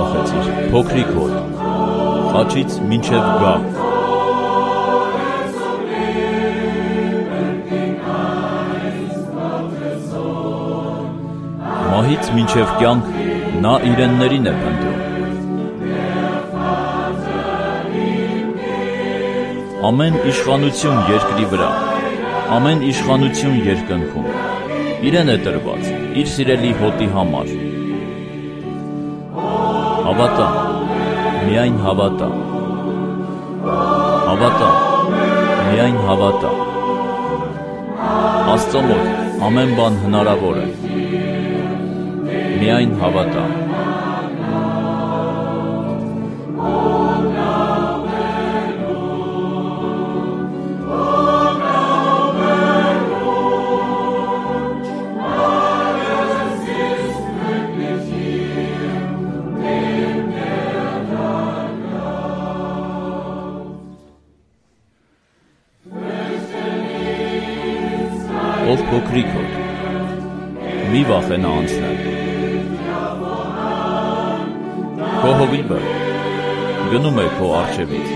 վախեցիր, փոքրիկ հոտ, խաչից մինչև գա։ Մահից մինչև կյանք նա իրեններին է փնտրում։ Ամեն իշխանություն երկրի վրա, ամեն իշխանություն երկնքում, իրեն է տրված, իր սիրելի հոտի համար։ Հավատա, միայն հավատա, հավատա, միայն հավատա, Աստծո մոտ ամեն բան հնարավոր է, միայն հավատա։ Ով փոքրիկ հոտ, մի վախենա անցնել։ Քո հովիվը գնում է քո առջևից։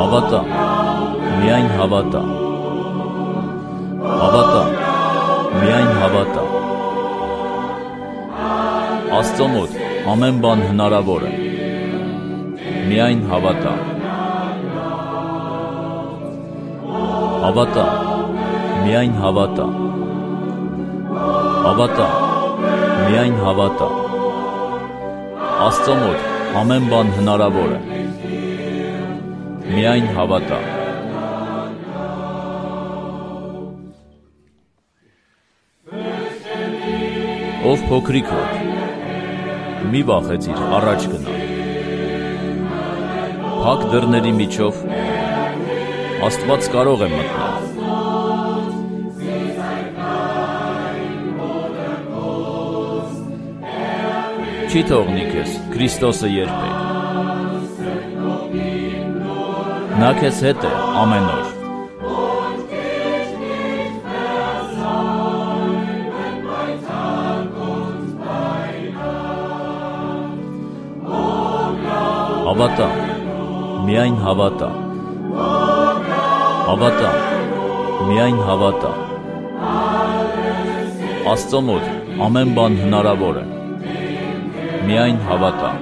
Հավատա, միայն հավատա, հավատա, միայն հավատա, Աստծո մոտ ամեն բան հնարավոր է, միայն հավատա, հավատա, միայն հավատա, հավատա, միայն հավատա, Աստծո մոտ ամեն բան հնարավոր է, միայն հավատա։ Ով փոքրիկ հոտ, մի վախեցիր առաջ գնալ։ Փակ դռների միջով Աստված կարող է մտնել։ Չի թողնի քեզ Քրիստոսը երբեք։ Նա քեզ հետ է ամեն օր։ Հավատա, միայն հավատա, հավատա, միայն հավատա, Աստծո մոտ ամեն բան հնարավոր է, միայն հավատա։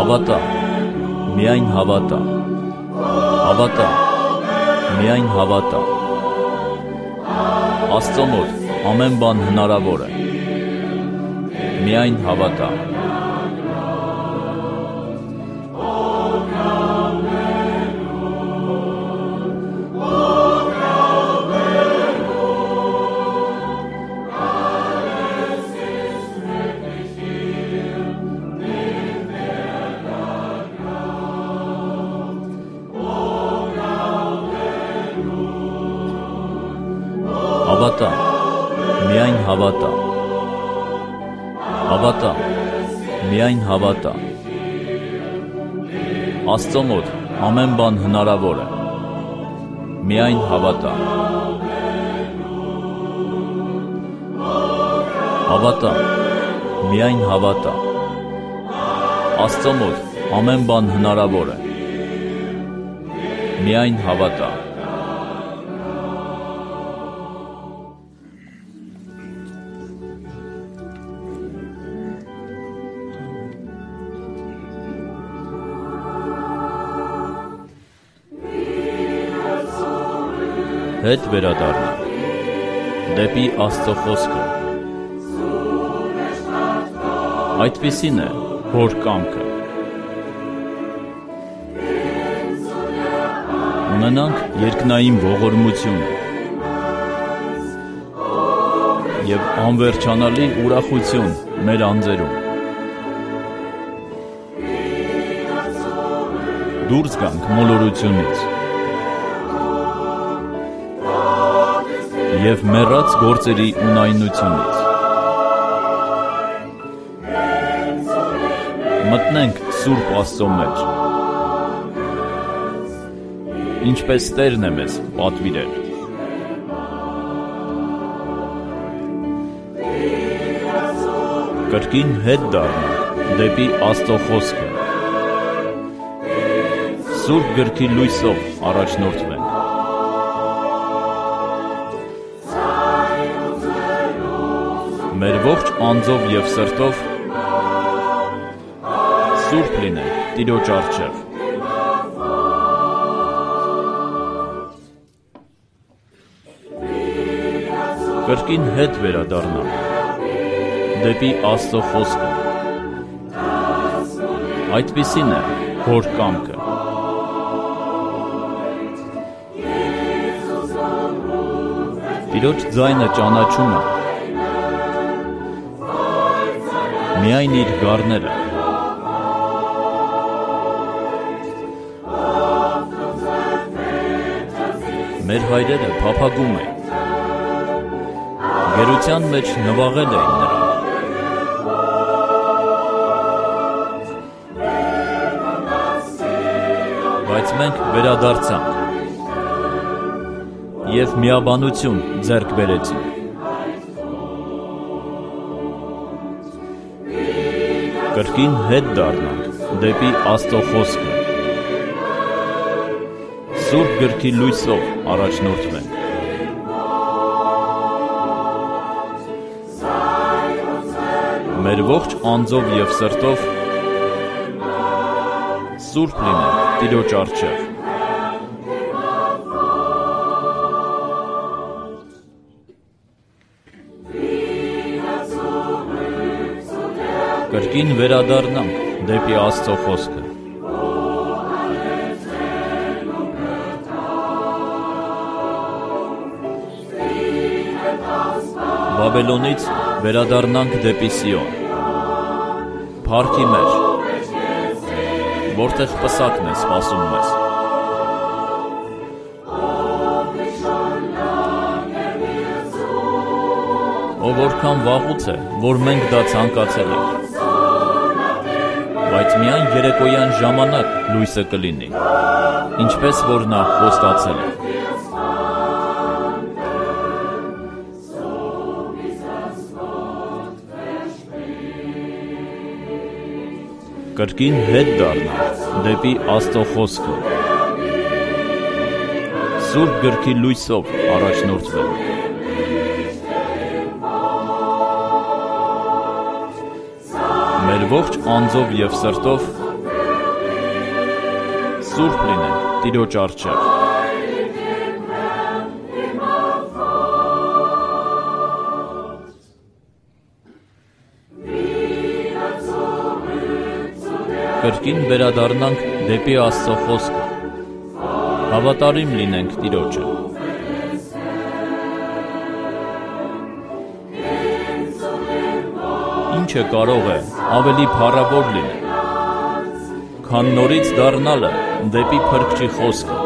Հավատա, միայն հավատա, հավատա, միայն հավատա, Աստծո մոտ ամեն բան հնարավոր է, միայն հավատա։ Հավատա, միայն հավատա, հավատա, միայն հավատա, Աստծո մոտ ամեն բան հնարավոր է, միայն հավատա։ Հավատա, միայն հավատա, Աստծո մոտ ամեն բան հնարավոր է, միայն հավատա։ Հետ վերադառնալ դեպի Աստծո խոսքը։ Այդպիսին է Հոր կամքը։ ունենանք երկնային ողորմությունը և անվերջանալի ուրախություն մեր անձերում։ Դուրս գանք մոլորությունից և մեռած գործերի ունայնությունից։ Մտնենք Սուրբ Աստծո մեջ, ինչպես Տերն է մեզ պատվիրել։ Կրկին հետ դառնանք դեպի Աստծո խոսքը, Սուրբ գրքի լույսով առաջնորդվենք։ Մեր ողջ անձով և սրտով սուրբ լինենք Տիրոջ առջև։ Կրկին հետ վերադառնանք դեպի Աստծո խոսքը։ Այդպիսին է Հոր կամքը։ Տիրոջ ձայնը ճանաչում է միայն իր գառները։ Մեր հայրերը փափագում էին, գերության մեջ նվաղել էին նրանք։ Բայց մենք վերադարձանք և միաբանություն ձեռք բերեցինք։ Կրկին հետ դառնանք դեպի Աստծո խոսքը, Սուրբ գրքի լույսով առաջնորդվենք։ Մեր ողջ անձով և սրտով սուրբ լինենք Տիրոջ առջև։ Կրկին վերադառնանք դեպի Աստծո խոսքը։ Բաբելոնից վերադառնանք դեպի Սիոն, փառքի մեջ, որտեղ պսակն է սպասում մեզ։ Ով որքան վաղուց է, որ մենք դա ցանկացել ենք, բայց միայն երեկոյան ժամանակ լույսը կլինի, ինչպես որ նա խոստացել է։ Կրկին հետ դառնանք դեպի Աստծո խոսքը, Սուրբ գրքի լույսով առաջնորդվենք։ Մեր ողջ անձով և սրտով սուրբ լինենք Տիրոջ առջև։ Կրկին վերադառնանք դեպի Աստծո խոսքը, հավատարիմ լինենք Տիրոջը։ Ինչը կարող է ավելի փառավոր լինել, քան նորից դառնալը դեպի Փրկչի խոսքը։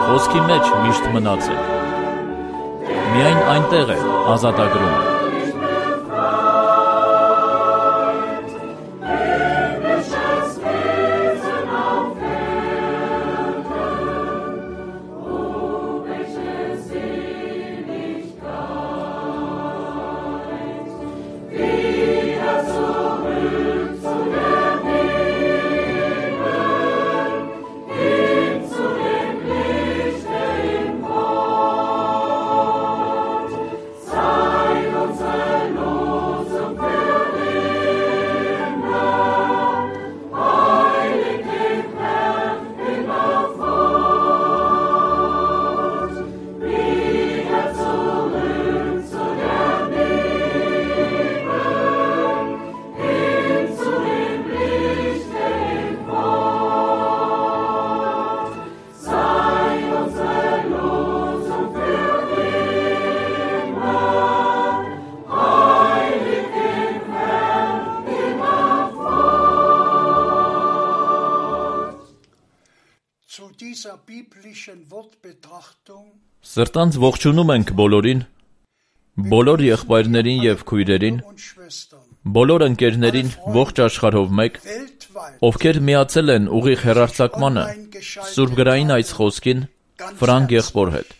Խոսքի մեջ միշտ մնացեք, միայն այնտեղ է ազատագրումը։ Սրտանց ողջունում ենք բոլորին, բոլոր եղբայրներին և քույրերին, բոլոր ընկերներին ողջ աշխարհով մեկ, ովքեր միացել են ուղիղ հեռարձակմանը, Սուրբ գրային այս խոսքին, Ֆրանկ եղբոր հետ։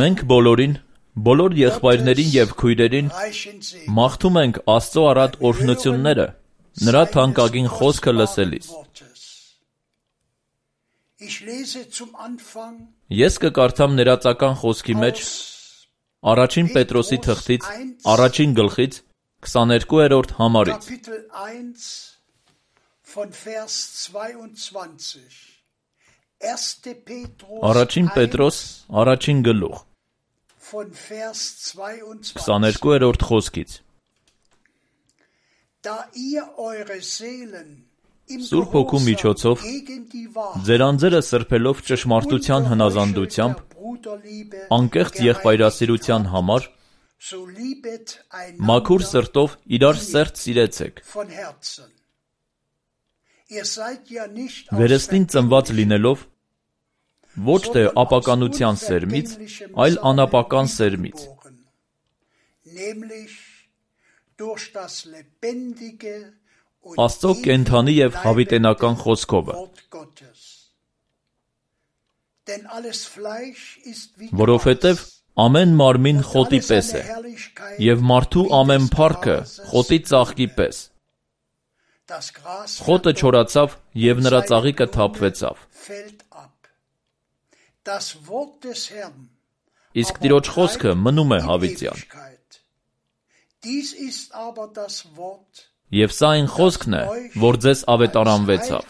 Մենք բոլորին, բոլոր եղբայրներին և քույրերին մաղթում ենք Աստծո առատ օրհնությունները, նրա թանկագին խոսքը լսելիս։ Ես կկարդամ ներածական խոսքի մեջ առաջին Պետրոսի թղթից, առաջին գլխից, 22-րդ համարից։ Առաջին Պետրոս, առաջին գլուխ, 22-րդ խոսքից։ Սուրբ Հոգու միջոցով ձեր անձերը սրբելով ճշմարտության հնազանդությամբ, անկեղծ եղբայրասիրության համար, մաքուր սրտով իրար սերտ սիրեցեք։ Վերստին ծնված լինելով, ոչ թե ապականության սերմից, այլ անապական սերմից։ Աստծո կենդանի և հավիտենական խոսքովը։ Որովհետև ամեն մարմին խոտի պես է, և մարդու ամեն փառքը խոտի ծաղկի պես։ Խոտը չորացավ, և նրա ծաղիկը թափվեցավ։ Իսկ Տիրոջ խոսքը մնում է հավիտյան։ Եվ սա այն խոսքն է, որ ձեզ ավետարանվեցավ,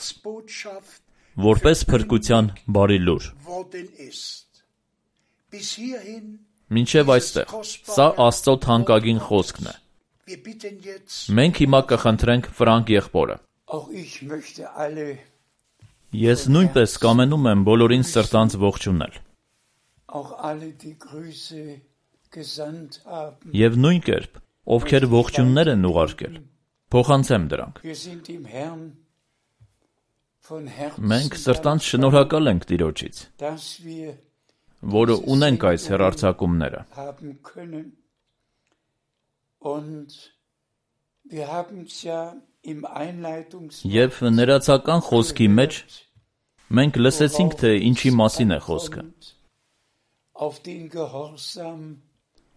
որպես փրկության բարի լուր։ Մինչև այստեղ, սա Աստծո թանկագին խոսքն է։ Մենք հիմա կխնդրենք Ֆրանկ եղբորը։ Ես նույնպես կամենում եմ բոլորին սրտանց ողջունել։ Եվ նույն կերպ, ովքեր ողջուններ են ուղարկել, փոխանցեմ դրանք։ Մենք սրտանց շնորհակալ ենք Տիրոջից, որը ունենք այս հեռարձակումները։ Եվ ներածական խոսքի մեջ մենք լսեցինք, թե ինչի մասին է խոսքը։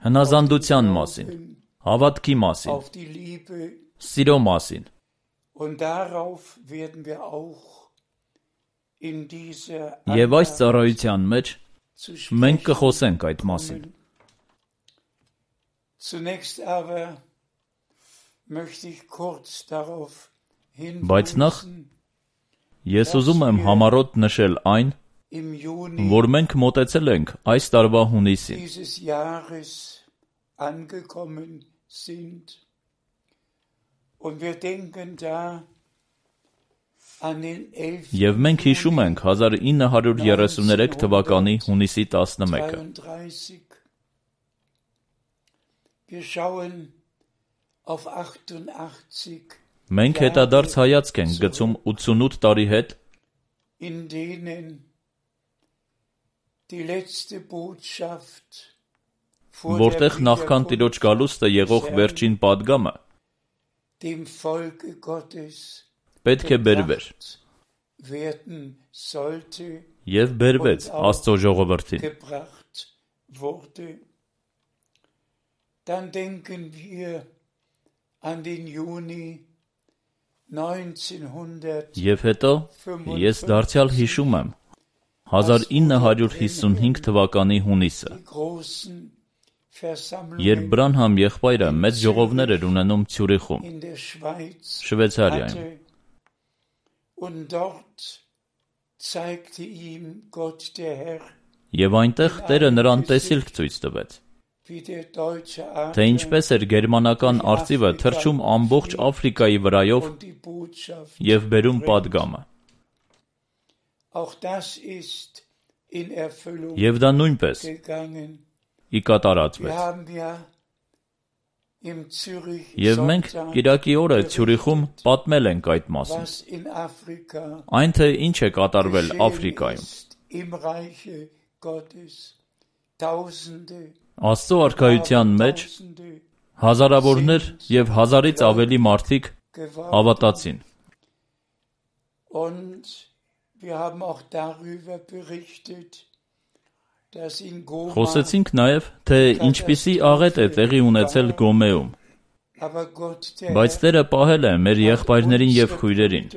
Հնազանդության մասին, հավատքի մասին, սիրո մասին։ Եվ այս ծառայության մեջ մենք կխոսենք այդ մասին։ Բայց նախ ես ուզում եմ համառոտ նշել այն, որ մենք մոտեցել ենք այս տարվա հունիսին։ Եվ մենք հիշում ենք 1933 թվականի հունիսի 11-ը։ Մենք հետադարձ հայացք ենք գցում 88 տարի հետ, որտեղ նախքան Տիրոջ գալուստը եղող վերջին պատգամը պետք է բերվեր և բերվեց Աստծո ժողովրդին։ Եվ հետո ես դարձյալ հիշում եմ 1955 թվականի հունիսը, երբ Բրանհամ եղբայրը մեծ ժողովներ էր ունենում Ցյուրիխում, Շվեյցարիայում։ Եվ այնտեղ Տերը նրան տեսիլք ցույց տվեց, թե ինչպես էր գերմանական արծիվը թռչում ամբողջ Աֆրիկայի վրայով և բերում պատգամը։ Եվ դա նույնպես ի կատարածվեց։ Եվ մենք կիրակի օրը Ցյուրիխում պատմել ենք այդ մասին։ Այն թե ինչ է կատարվել Աֆրիկայում։ Աստծո արքայության մեջ հազարավորներ եւ հազարից ավելի մարդիկ հավատացին։ Խոսեցինք նաև, թե ինչպիսի աղետ է տեղի ունեցել Գոմեում, բայց Տերը պահել է մեր եղբայրներին եւ քույրերին։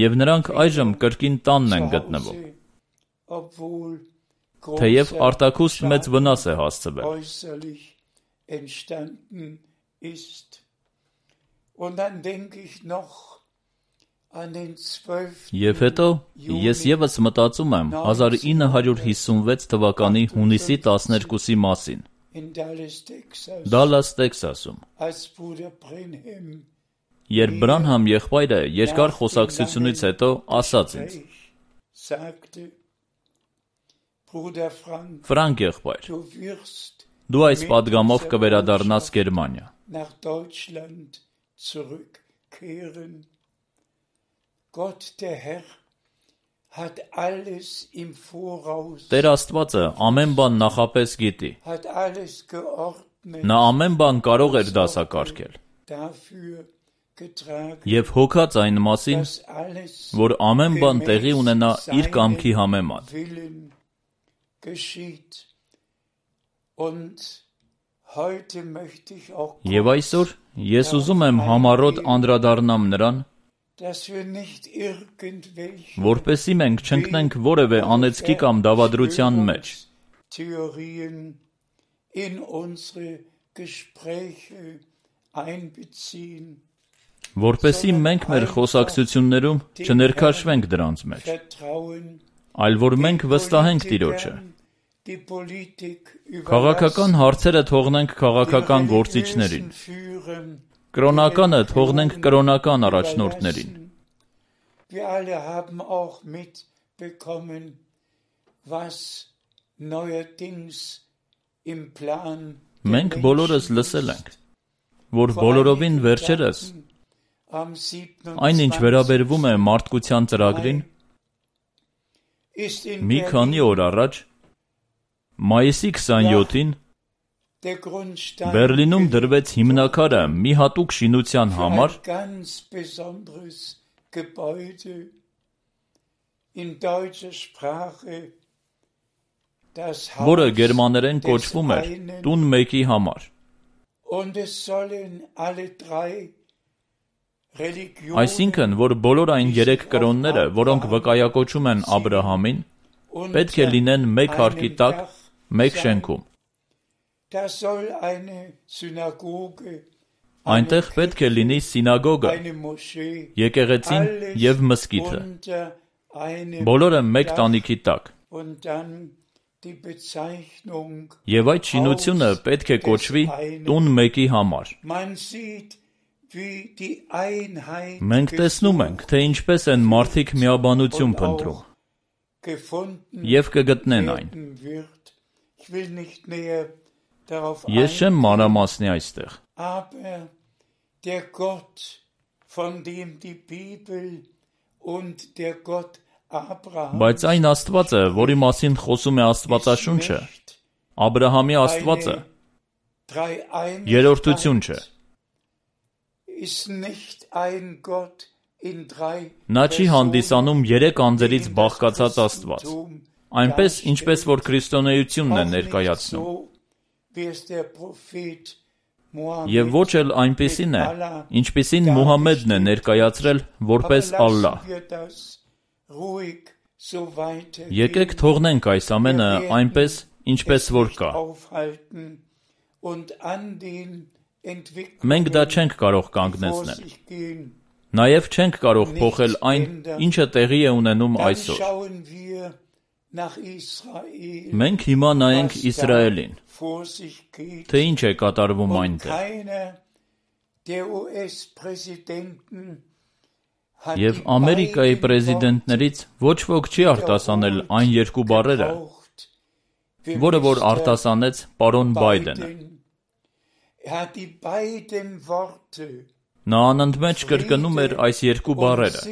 Եվ նրանք այժմ կրկին տանն են գտնվում, թեև արտաքուստ մեծ վնաս է հասցվել։ Եվ հետո ես ևս մտածում եմ 1956 թվականի հունիսի 12-ի մասին, Դալլաս, Տեքսասում, երբ Բրանհամ եղբայրը երկար խոսակցությունից հետո ասաց ինձ. Ֆրանկ եղբայր, դու այս պատգամով կվերադառնաս Գերմանիա։ Տեր Աստվածը ամեն բան նախապես գիտի։ Նա ամեն բան կարող էր դասակարգել։ Եվ հոգաց այն մասին, որ ամեն բան տեղի ունենա իր կամքի համեմատ։ Եվ այսօր ես ուզում եմ համառոտ անդրադառնամ նրան, որպեսզի մենք չընկնենք որևէ անեծքի կամ դավադրության մեջ։ Որպեսզի մենք մեր խոսակցություններում չներքաշվենք դրանց մեջ, այլ որ մենք վստահենք Տիրոջը։ Քաղաքական հարցերը թողնենք քաղաքական գործիչներին, կրոնականը թողնենք կրոնական առաջնորդներին։ Մենք բոլորս լսել ենք, որ բոլորովին վերջերս, այնինչ վերաբերվում է մարդկության ծրագրին, մի քանի օր առաջ, մայիսի 27-ին, Բերլինում դրվեց հիմնաքարը մի հատուկ շինության համար, որը գերմաներեն կոչվում էր տուն մեկի համար։ Այսինքն, որ բոլոր այն 3 կրոնները, որոնք վկայակոչում են Աբրահամին, պետք է լինեն մեկ հարկի տակ, մեկ շենքում։ Այնտեղ պետք է լինի սինագոգը, եկեղեցին եւ մզկիթը, բոլորը մեկ տանիքի տակ։ Եվ այդ շինությունը պետք է կոչվի տուն մեկի համար։ Մենք տեսնում ենք, թե ինչպես են մարդիկ միաբանություն փնտրում, եւ կգտնեն այն։ Ես չեմ մանրամասնի այստեղ։ Բայց այն Աստվածը, որի մասին խոսում է Աստվածաշունչը, Աբրահամի Աստվածը, երրորդություն չէ։ Նա չի հանդիսանում 3 անձերից բաղկացած Աստված, այնպես, ինչպես որ քրիստոնեությունն է ներկայացնում։ Եվ ոչ էլ այնպիսին է, ինչպիսին Մուհամմեդն է ներկայացրել որպես Ալլահ։ Եկեք թողնենք այս ամենը այնպես, ինչպես որ կա։ Մենք դա չենք կարող կանգնեցնել։ Նաև չենք կարող փոխել այն, ինչը տեղի է ունենում այսօր։ Մենք հիմա նայենք Իսրայելին, թե ինչ է կատարվում այնտեղ։ Եվ Ամերիկայի պրեզիդենտներից ոչ ոք չի արտասանել այն երկու բառերը, որը որ արտասանեց պարոն Բայդենը։ Նա անընդմեջ կրկնում էր այս երկու բառերը՝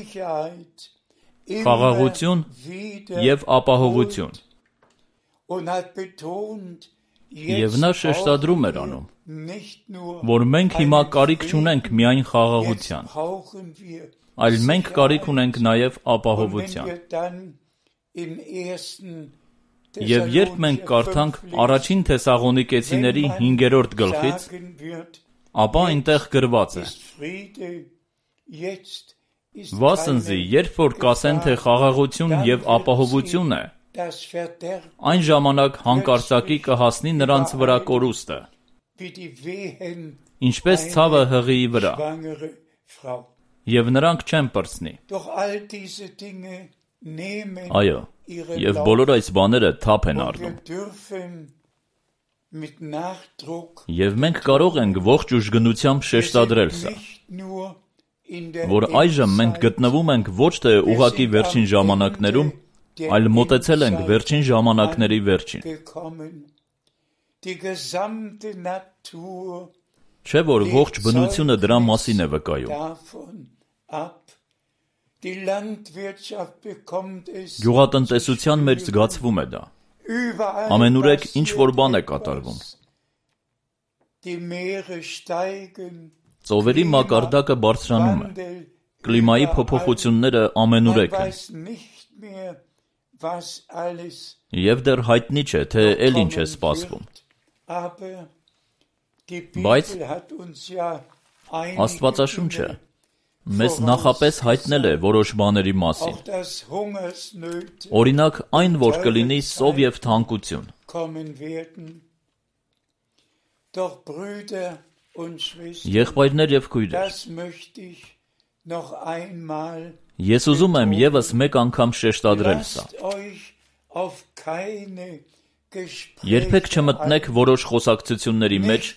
խաղաղություն և ապահովություն։ Եվ նա շեշտադրում էր անում, որ մենք հիմա կարիք չունենք միայն խաղաղության, այլ մենք կարիք ունենք նաև ապահովության։ Եվ երբ մենք կարդանք առաջին Թեսաղոնիկեցիների 5-րդ գլխից, ապա այնտեղ գրված է. «Վասնզի, երբ որ կասեն, թե խաղաղություն և ապահովություն է, այն ժամանակ հանկարծակի կհասնի նրանց վրա կորուստը, ինչպես ցավը հղիի վրա, և նրանք չեն պրծնի»։ Այո, և բոլոր այս բաները թափ են առնում։ Եվ մենք կարող ենք ողջ ուժգնությամբ շեշտադրել սա, որ այժմ մենք գտնվում ենք ոչ թե ուղղակի վերջին ժամանակներում, այլ մոտեցել ենք վերջին ժամանակների վերջին։ Չէ՞ որ ողջ բնությունը դրա մասին է վկայում։ Գյուղատնտեսության մեջ զգացվում է դա։ Ամենուրեք ինչ-որ բան է կատարվում։ Ծովերի մակարդակը բարձրանում է։ Կլիմայի փոփոխությունները ամենուրեք են։ Եվ դեռ հայտնի չէ, թե էլ ինչ է սպասվում։ Բայց Աստվածաշունչը մեզ նախապես հայտնել է որոշ բաների մասին։ Օրինակ, այն, որ կլինի սով և թանկություն։ Եղբայրներ և քույրեր, ես ուզում եմ ևս մեկ անգամ շեշտադրել սա։ Երբեք չմտնեք որոշ խոսակցությունների մեջ,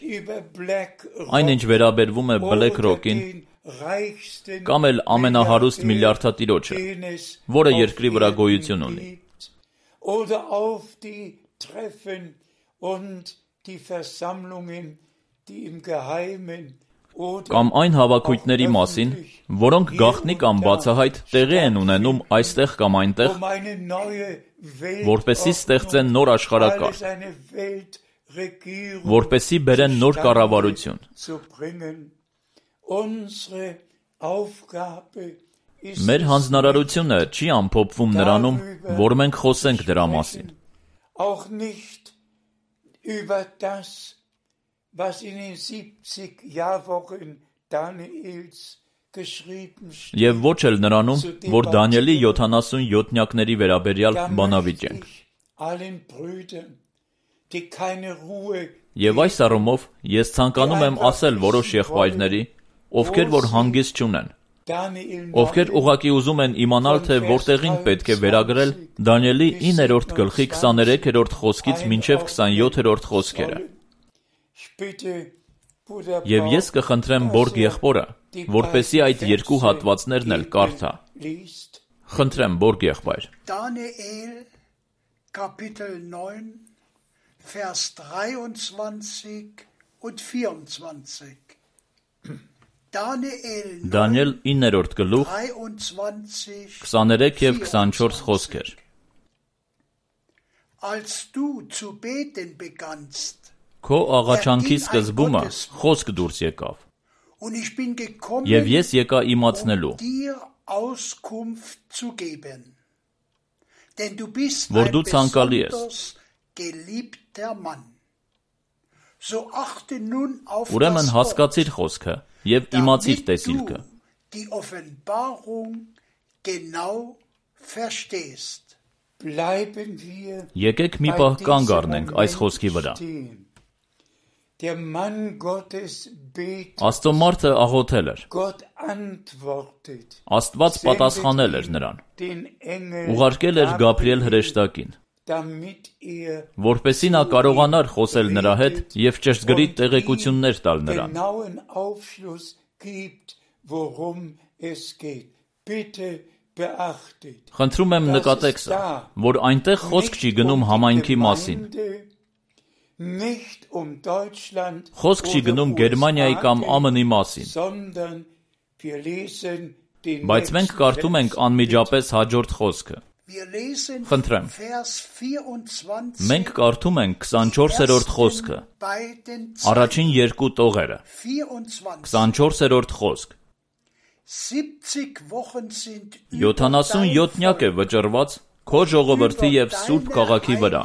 այն ինչ վերաբերվում է Black Rock-ին, կամ էլ ամենահարուստ միլիարդատիրոջը, որը երկրի վրա գոյություն ունի։ Կամ այն հավաքույթների մասին, որոնք գաղտնի կամ բացահայտ տեղի են ունենում այստեղ կամ այնտեղ, որպեսզի ստեղծեն նոր աշխարհակարգ, որպեսզի բերեն նոր կառավարություն։ Մեր հանձնարարությունը չի ամփոփվում նրանում, որ մենք խոսենք դրա մասին։ Եվ ոչ էլ նրանում, որ Դանիելի 70-յոթնյակների վերաբերյալ բանավիճենք։ Եվ այս առումով ես ցանկանում եմ ասել որոշ եղբայրների, ովքեր որ հանգիստ չունեն, ովքեր ուղղակի ուզում են իմանալ, թե որտեղին պետք է վերագրել Դանիելի 9-րդ գլխի 23-րդ խոսքից մինչև 27-րդ խոսքերը։ Եվ ես կխնդրեմ Բորգ եղբորը, որպեսզի այդ երկու հատվածներն էլ կարդա։ Խնդրեմ, Բորգ եղբայր։ Daniel, Kapitel 9, Vers 23 und 24. Դանիել 9-րդ գլուխ 23 և 24 խոսքեր։ Als du zu beten begannst, Քո աղաչանքի սկզբումը խոսք դուրս եկավ, և ես եկա իմացնելու, որ դու ցանկալի ես։ Ուրեմն հասկացիր խոսքը և իմացիր տեսիլքը։ Եկեք մի պահ կանգ առնենք այս խոսքի վրա։ Աստծո մարդը աղոթել էր։ Աստված պատասխանել էր նրան։ Ուղարկել էր Գաբրիել հրեշտակին, որպեսզի նա կարողանար խոսել նրա հետ և ճշգրիտ տեղեկություններ տալ նրան։ Bitte beachtet. Խնդրում եմ նկատեք սա, որ այնտեղ խոսք չի գնում համայնքի մասին։ Խոսք չի գնում Գերմանիայի կամ ԱՄՆ-ի մասին։ Բայց մենք կարդում ենք անմիջապես հաջորդ խոսքը։ Խնդրեմ։ Մենք կարդում ենք 24-րդ խոսքը, առաջին երկու տողերը, 24-րդ խոսք։ 77 է վճռված քո ժողովրդի և Սուրբ քաղաքի վրա։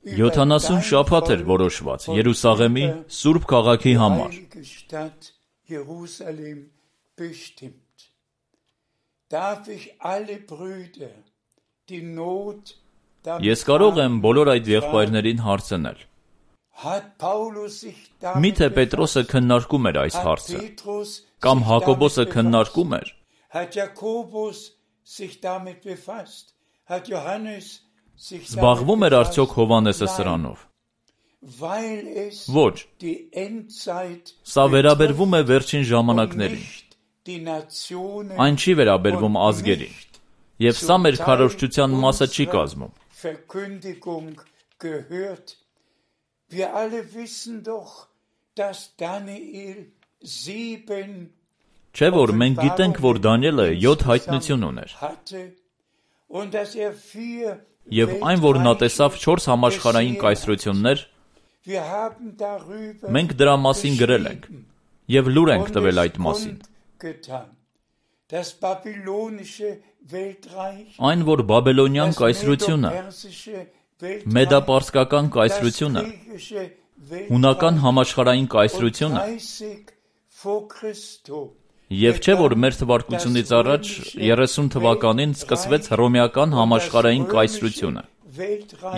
70 շաբաթ էր որոշված Երուսաղեմի Սուրբ քաղաքի համար։ Ես կարող եմ բոլոր այդ եղբայրներին հարցնել. Միթե Պետրոսը քննարկում էր այս հարցը, կամ Հակոբոսը քննարկում էր։ Զբաղվում էր արդյոք Հովհաննեսը սրանով։ Ոչ, սա վերաբերվում է վերջին ժամանակներին։ Այն չի վերաբերվում ազգերին, և սա մեր քարոզչության մասը չի կազմում։ Չէ՞ որ մենք գիտենք, որ Դանիելը 7 հայտնություն ուներ։ Եվ այն, որ նա տեսավ 4 համաշխարհային կայսրություններ, մենք դրա մասին գրել ենք և լուր ենք տվել այդ մասին։ Այն, որ բաբելոնյան կայսրությունը, մեդապարսկական կայսրությունը, հունական համաշխարհային կայսրությունը, և չէ, որ մեր թվարկությունից առաջ 30 թվականին սկսվեց հռոմեական համաշխարհային կայսրությունը,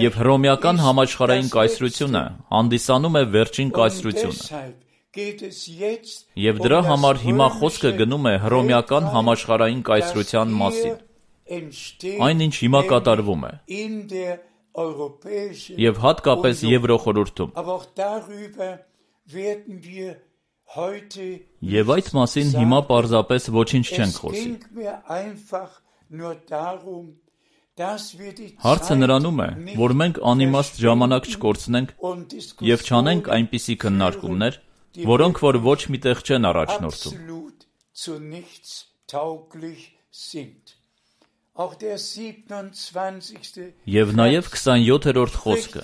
և հռոմեական համաշխարհային կայսրությունը հանդիսանում է վերջին կայսրությունը, և դրա համար հիմա խոսքը գնում է հռոմեական համաշխարհային կայսրության մասին, այն ինչ հիմա կատարվում է, և հատկապես Եվրոխորհուրդում։ Եվ այդ մասին հիմա պարզապես ոչինչ չենք խոսի։ Հարցը նրանում է, որ մենք անիմաստ ժամանակ չկորցնենք և չանենք այնպիսի քննարկումներ, որոնք որ ոչ միտեղ չեն առաջնորդում։ Եվ նաև 27-րդ խոսքը։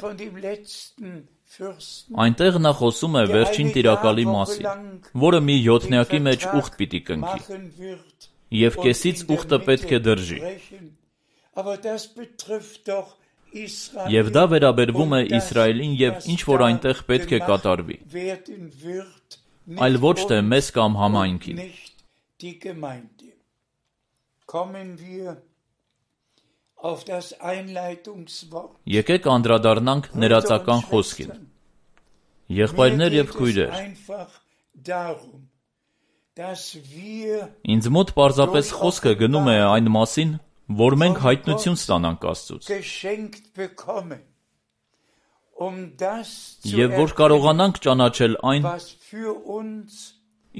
Այնտեղ նա խոսում է վերջին տիրակալի մասին, որը մի յոթնյակի մեջ ուխտ պիտի կնքի, և կեսից ուխտը պետք է դրժի։ Եվ դա վերաբերվում է Իսրայելին և ինչ որ այնտեղ պետք է կատարվի, այլ ոչ թե մեզ կամ համայնքին։ Եկեք անդրադառնանք ներածական խոսքին։ Եղբայրներ և քույրեր, ինձ մոտ պարզապես խոսքը գնում է այն մասին, որ մենք հայտնություն ստանանք Աստծուց, և որ կարողանանք ճանաչել այն,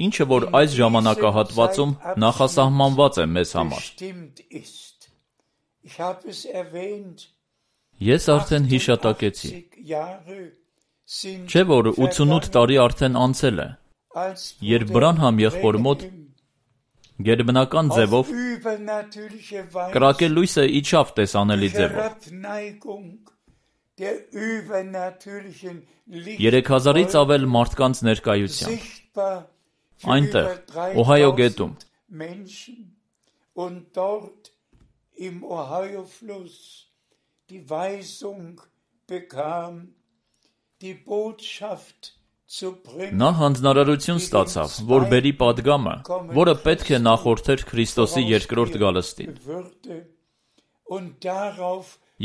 ինչը որ այս ժամանակահատվածում նախասահմանված է մեզ համար։ Ես արդեն հիշատակեցի։ Չէ՞ որ 88 տարի արդեն անցել է, երբ Բրանհամ եղբոր մոտ գերբնական ձևով կրակելույսը իջավ տեսանելի ձևով։ 3000-ից ավել մարդկանց ներկայությամբ, այնտեղ, Օհայո գետում, նա հանձնարարություն ստացավ, որ բերի պատգամը, որը պետք է նախորդեր Քրիստոսի երկրորդ գալստին։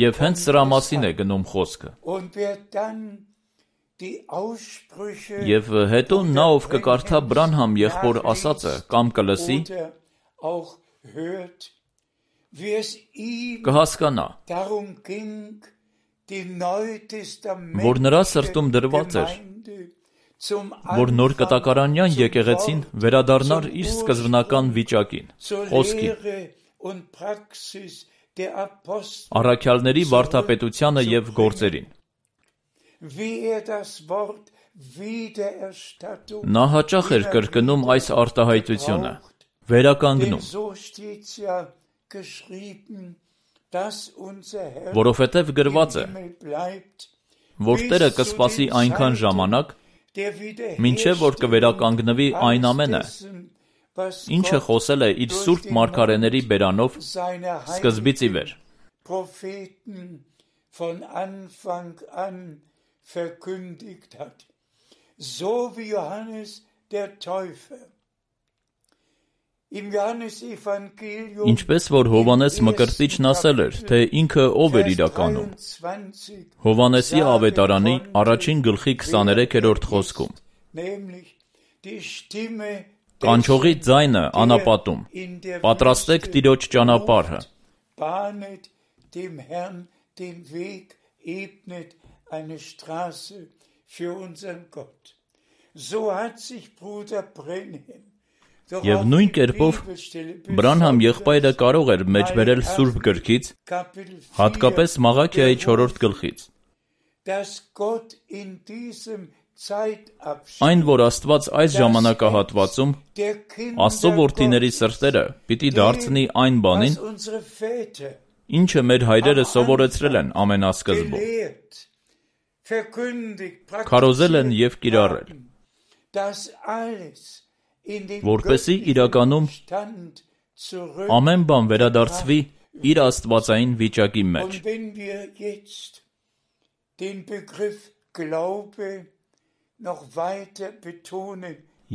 Եվ հենց սրա մասին է գնում խոսքը։ Եվ հետո նա, ով կկարդա Բրանհամ եղբոր ասածը կամ կլսի, կհասկանա, որ նրա սրտում դրված էր, որ նոր կտակարանյան եկեղեցին վերադառնար իր սկզբնական վիճակին, խոսքին, առաքյալների վարդապետությանը եւ գործերին։ Նա հաճախ էր կրկնում այս արտահայտությունը, վերականգնում, որովհետև գրված է, որ Տերը կսպասի այնքան ժամանակ, մինչև որ կվերականգնվի այն ամենը, ինչը խոսել է իր սուրբ մարգարեների բերանով սկզբից ի վեր։ Ինչպես որ Հովհաննես Մկրտիչն ասել էր, թե ինքը ով էր իրականում, Հովհաննեսի ավետարանի 1 գլխի 23-րդ խոսքում, կանչողի ձայնը անապատում, պատրաստեք Տիրոջ ճանապարհը։ Եվ նույն կերպով Բրանհամ եղբայրը կարող էր մեջբերել Սուրբ գրքից, հատկապես Մաղաքիայի 4-րդ գլխից, այն, որ Աստված այս ժամանակահատվածում Աստծո որդիների սրտերը պիտի դարձնի այն բանին, ինչը մեր հայրերը սովորեցրել են ամենասկզբում, քարոզել են և կիրառել, որպեսզի իրականում ամեն բան վերադարձվի իր աստվածային վիճակի մեջ։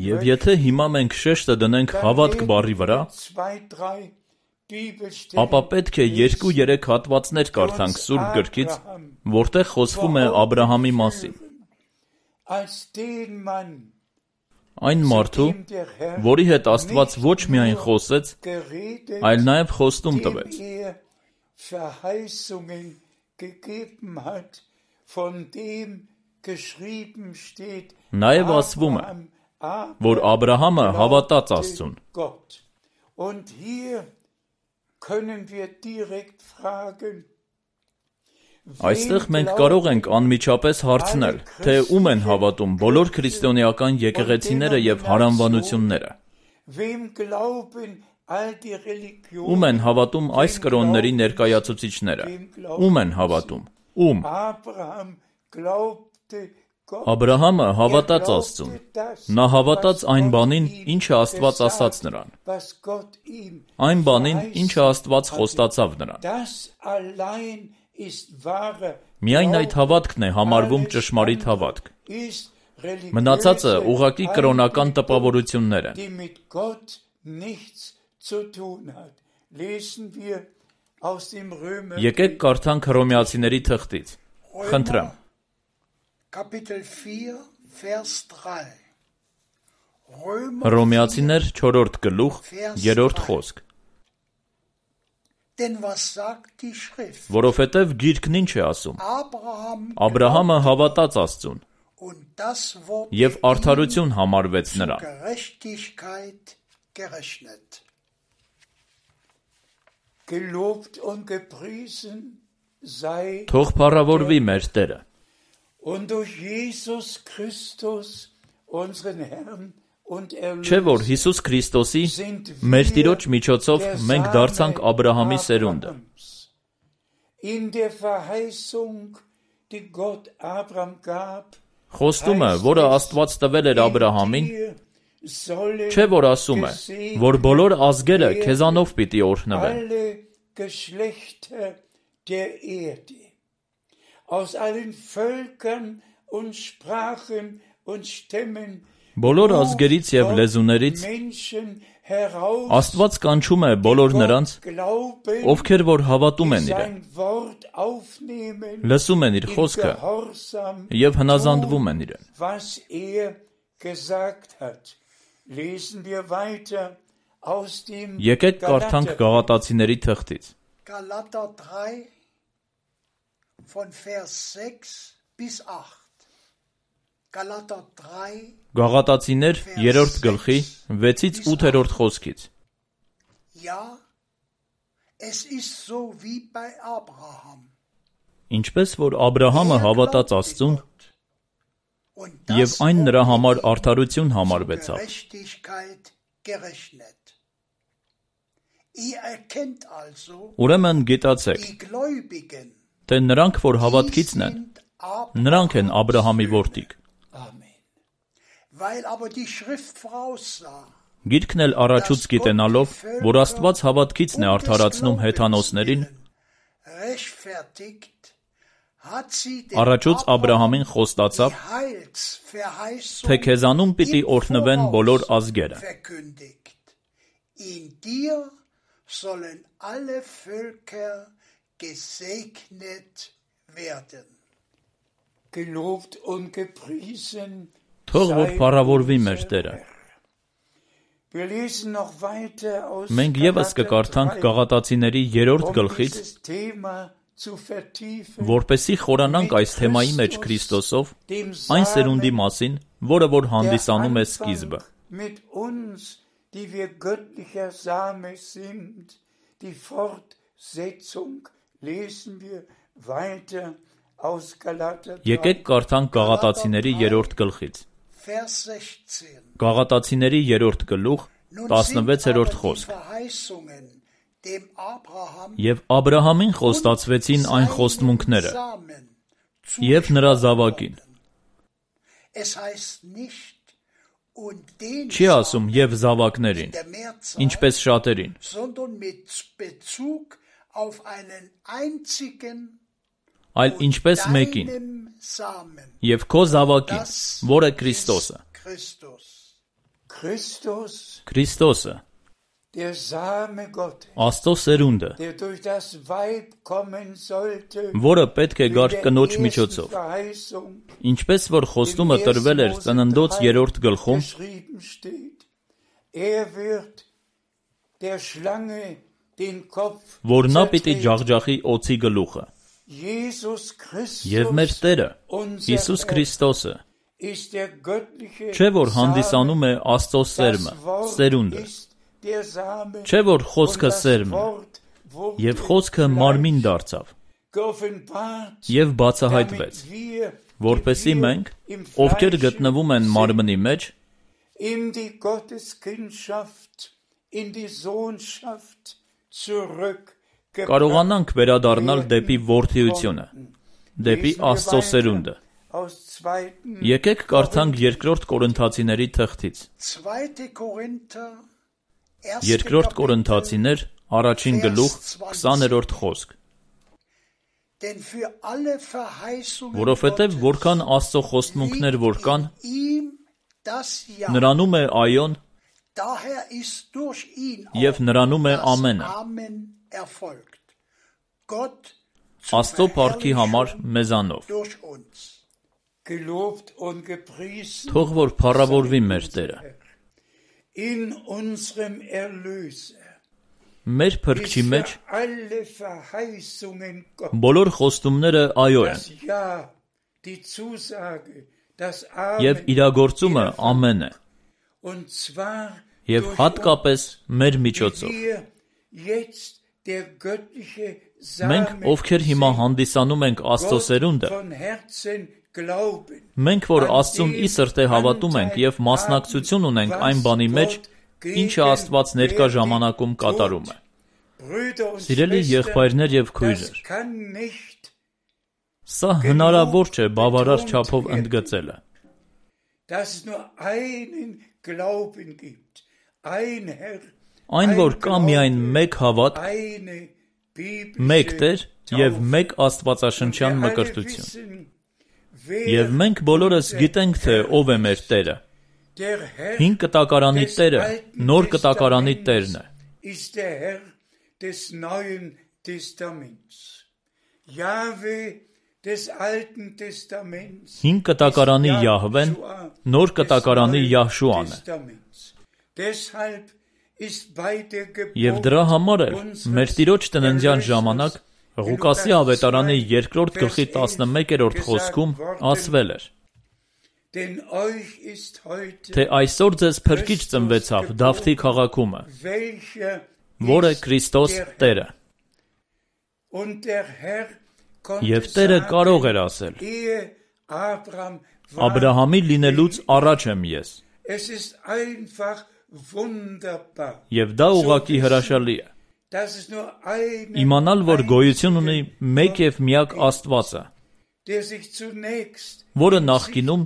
Եվ եթե հիմա մենք շեշտը դնենք հավատք բառի վրա, ապա պետք է 2-3 հատվածներ կարդանք Սուրբ գրքից, որտեղ խոսվում է Աբրահամի մասին։ Այն մարդու, որի հետ Աստված ոչ միայն խոսեց, այլ նաև խոստում տվեց։ Նաև ասվում է, որ Աբրահամը հավատաց Աստծուն։ Այստեղ մենք կարող ենք անմիջապես հարցնել, թե ում են հավատում բոլոր քրիստոնեական եկեղեցիները և հարանվանությունները։ Ում են հավատում այս կրոնների ներկայացուցիչները։ Ում են հավատում։ Ում։ Աբրահամը հավատաց Աստծուն։ Նա հավատաց այն բանին, ինչը Աստված ասաց նրան։ Այն բանին, ինչը Աստված խոստացավ նրան։ Միայն այդ հավատքն է համարվում ճշմարիտ հավատք։ Մնացածը ուղղակի կրոնական տպավորություններ են։ Եկեք կարդանք Հռոմեացիների թղթից։ Խնդրեմ։ Հռոմեացիներ 4-րդ գլուխ 3-րդ խոսք։ Որովհետև Գիրքն ինչ է ասում։ Աբրահամը հավատաց Աստծուն, և արդարություն համարվեց նրան։ Թող փառավորվի մեր Տերը։ Չէ՞ որ Հիսուս Քրիստոսի մեր Տիրոջ միջոցով մենք դարձանք Աբրահամի սերունդը։ Խոստումը, որը Աստված տվել էր Աբրահամին, չէ՞ որ ասում է, որ բոլոր ազգերը քեզանով պիտի օրհնվեն։ Բոլոր ազգերից և լեզուներից Աստված կանչում է բոլոր նրանց, ովքեր որ հավատում են իրեն, լսում են իր խոսքը և հնազանդվում են իրեն։ Եկեք կարդանք Գաղատացիների թղթից։ von Vers 6 bis 8. Galater 3, Գաղատացիներ 3-րդ գլխի 6-ից 8-րդ խոսքից։ ja, es ist so wie bei Abraham. Ինչպես որ Աբրահամը հավատաց Աստծուն, Und եւ das այն նրա համար wurde ihm արդարություն zur համարվեցավ։ Gerechtigkeit gerechnet. Ihr erkennt also, Ուրեմն գիտացեք, die Gläubigen, թե նրանք, որ die հավատքիցն են, sind նրանք են Աբրահամի որդիկ։ Amen. weil aber die Schrift voraussah, Գիրքն էլ առաջուց գիտենալով, որ Աստված հավատքիցն է արդարացնում հեթանոսներին, rechtfertigt, hat sie den առաջուց Աբրահամին die խոստացավ, Heilsverheißung թե քեզանում պիտի im օրհնվեն Voraus բոլոր ազգերը։ verkündigt. In dir sollen alle Völker gesegnet werden. Gelobt und gepriesen Թող որ sei փառավորվի unser մեր Տերը։ Herr. Wir lesen noch weiter aus Մենք եւս Galater կկարդանք 3, Գաղատացիների 3-րդ գլխից, dieses Thema zu vertiefen, որպեսզի խորանանք այս թեմայի մեջ Քրիստոսով, այն սերունդի մասին, որը որ հանդիսանում է սկիզբը։ mit uns, die wir göttlicher Same sind, die Fortsetzung lesen wir weiter aus Galater 3. Եկեք կարդանք Գաղատացիների 3-րդ գլխից։ Vers 16. Գաղատացիների 3-րդ գլուխ Nun sind aber 16-րդ die խոսք։ Verheißungen dem Abraham Եվ Աբրահամին խոստացվեցին այն խոստմունքները, եւ նրա զավակին։ Es heißt nicht und den Չի ասում եւ զավակներին, der Mehrzahl, ինչպես շատերին, sondern mit Bezug auf einen einzigen այլ ինչպես մեկին, deinem Samen, եւ քո զավակին, որը Քրիստոսը։ Christus. Christus, Քրիստոսը, der Same Gottes, Աստծո սերունդը, der durch das Weib kommen sollte, որը պետք է wie գար der կնոջ ersten միջոցով, Verheißung ինչպես որ խոստումը տրվել էր Ծննդոց 3-րդ գլխում, geschrieben steht. Wird der Schlange den Kopf որ նա պիտի zertreten. ջախջախի օծի գլուխը։ Jesus Christus, Եվ մեր Տերը, unser Հիսուս Herr, Քրիստոսը, ist der göttliche չէ որ Same, հանդիսանում է Աստծո սերմը, das Wort սերունդը, ist der Same, չէ որ und խոսքը das սերմն է, Wort wurde եւ խոսքը մարմին դարձավ, geoffenbart, եւ բացահայտվեց, damit wir, որպեսզի die wir մենք, im ովքեր Fleische գտնվում են մարմնի մեջ, in die Gotteskindschaft, in die Sohnschaft zurückgebracht կարողանանք վերադառնալ դեպի որդիությունը, դեպի Աստծո սերունդը։ aus 2. Եկեք կարդանք 2-րդ Կորինթացիների թղթից։ 2. Korinther, 2-րդ Կորինթացիներ, առաջին գլուխ, 20-րդ խոսք։ denn für alle Verheißungen Որովհետև որքան Աստծո խոստմունքներ որ կան, ihm das Ja, նրանում է այոն daher ist durch ihn եւ նրանում է das ամենը։ Amen erfolgt. Gott Աստծո փառքի համար մեզանով։ durch uns. gelobt und gepriesen Թող որ փառավորվի մեր Տերը։ in unserem Erlöser. Մեր փրկչի Ist մեջ für alle Verheißungen Gott. բոլոր խոստումները այո են, Das Ja, die Zusage, das եւ Amen. իրագործումը ամեն է, Und zwar եւ durch հատկապես մեր uns, միջոցով։ wie wir jetzt der göttliche Մենք, Same ովքեր հիմա sind, հանդիսանում ենք Աստծո Gott սերունդը, von Herzen glauben. մենք որ Աստծուն ի սրտե հավատում ենք եւ մասնակցություն ունենք այն բանի մեջ, ինչը Աստված ներկա ժամանակում կատարում է։ Brüder und Սիրելի Schwestern, եղբայրներ եւ das քույրեր, kann nicht, սա հնարավոր չէ բավարար չափով ընդգծելը, dass es nur einen Glauben gibt. Ein Herr, այն որ կա միայն մեկ հավատ, eine մեկ biblische Տեր եւ Taufe. մեկ Աստվածաշնչյան Wir alle մկրտություն։ wissen, wer Եվ մենք բոլորս գիտենք, թե ով է մեր Տերը։ der Herr Հին կտակարանի des Տերը Alten նոր կտակարանի Տերն է։ Testaments ist der Herr des Neuen Testaments. Jahwe des Alten Testaments Հին կտակարանի ist Յահվեն, Jahshua նոր des կտակարանի Neuen Յահշուան է։ Testaments. Deshalb ist bei der Եվ դրա համար էլ մեր Տիրոջ տննձյան ժամանակ Ղուկասի ավետարանի 2-րդ գլխի 11-րդ խոսքում ասվել էր. Թե այսօր ձեզ փրկիչ ծնվեցավ Դավթի քաղաքումը, որը Քրիստոս Տերը։ Եվ Տերը կարող էր ասել. Աբրահամի լինելուց առաջ եմ ես։ Եվ դա ուղղակի հրաշալի է։ Իմանալ, որ գոյություն ունի մեկ և միակ Աստվածը, որը նախկինում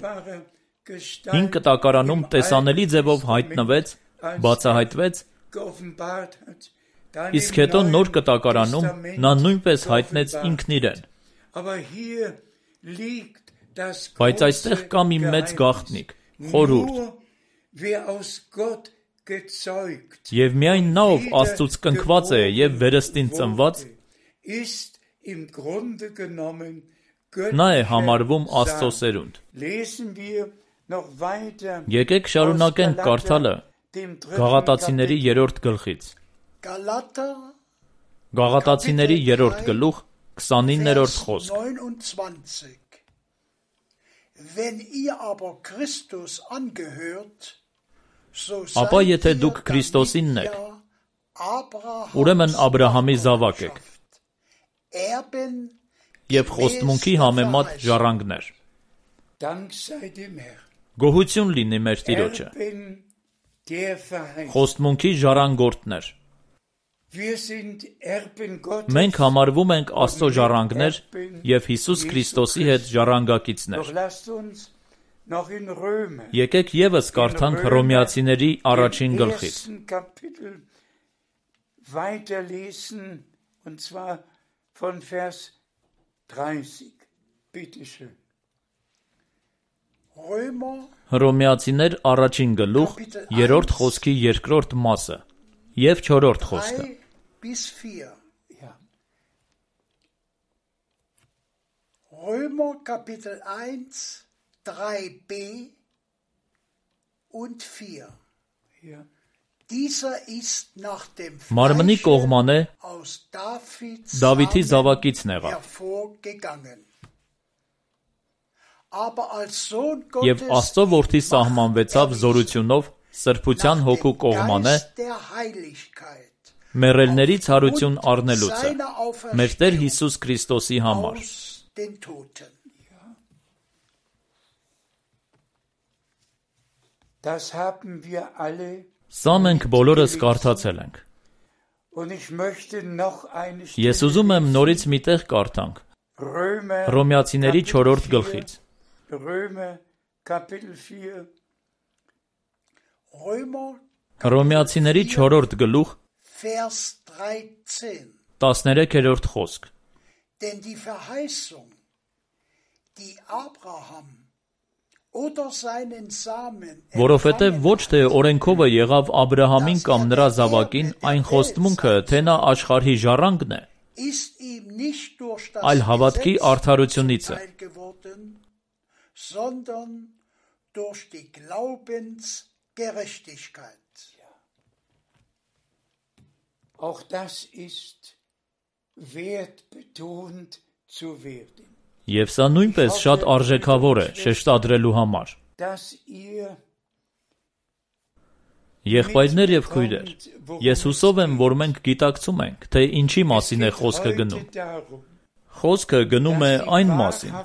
հին կտակարանում տեսանելի ձևով հայտնվեց, բացահայտվեց, իսկ հետո նոր կտակարանում նա նույնպես հայտնեց ինքն իրեն։ Բայց այստեղ կա մի մեծ գաղտնիք, խորհուրդ, և միայն նա, ով Աստծուց կնքված է և վերստին ծնված, նա է համարվում Աստծո սերունդ։ Եկեք շարունակենք կարդալը Գաղատացիների 3-րդ գլխից։ Գաղատացիների 3-րդ գլուխ 29-րդ խոսք։ Ապա եթե դուք Քրիստոսինն եք, ուրեմն Աբրահամի զավակ եք, և խոստմունքի համեմատ ժառանգներ։ Գոհություն լինի մեր Տիրոջը, խոստմունքի ժառանգորդներ։ Մենք համարվում ենք Աստծո ժառանգներ և Հիսուս Քրիստոսի հետ ժառանգակիցներ։ Եկեք ևս կարդանք Հռոմեացիների 1-ին գլխից։ Հռոմեացիներ 1-ին գլուխ 3-րդ խոսքի 2-րդ մասը և 4-րդ խոսքը։ Römer Kapitel 1, 3b und 4. Dieser ist nach dem Մարմնի կողմանե aus Davids Դավիթի զավակիցն եղավ։ hervorgegangen. Aber als Sohn Եվ Gottes Աստծո որդի սահմանվեցավ զորությունով սրբության հոգու կողմանե der Heiligkeit մեռելներից հարություն առնելուցը, մեր Տեր Հիսուս Քրիստոսի համար։ aus den Toten. Das haben wir alle. Սա մենք բոլորս կարդացել ենք։ Und ich möchte noch eine Ես ուզում եմ նորից մի տեղ կարդանք Հռոմեացիների 4-րդ գլխից։ Römer Kapitel 4. Römer Հռոմեացիների 4-րդ գլուխ Vers 13. 13-րդ խոսք։ Denn die Verheißung, die Abraham oder seinen Samen Որովհետև ոչ թե օրենքովը եղավ Աբրահամին կամ նրա զավակին այն խոստմունքը, թե նա աշխարհի ժառանգն է, ist ihm nicht durch das այլ հավատքի Gesetz արդարությունից է, zuteil geworden, sondern durch die Glaubensgerechtigkeit. Auch das ist wert betont zu werden. Եվ սա նույնպես շատ արժեքավոր է շեշտադրելու համար։ Dass ihr Եղբայրներ եւ քույրեր, ես հուսով եմ, որ մենք գիտակցում ենք, թե ինչի մասին է խոսքը գնում։ Խոսքը գնում է այն մասին,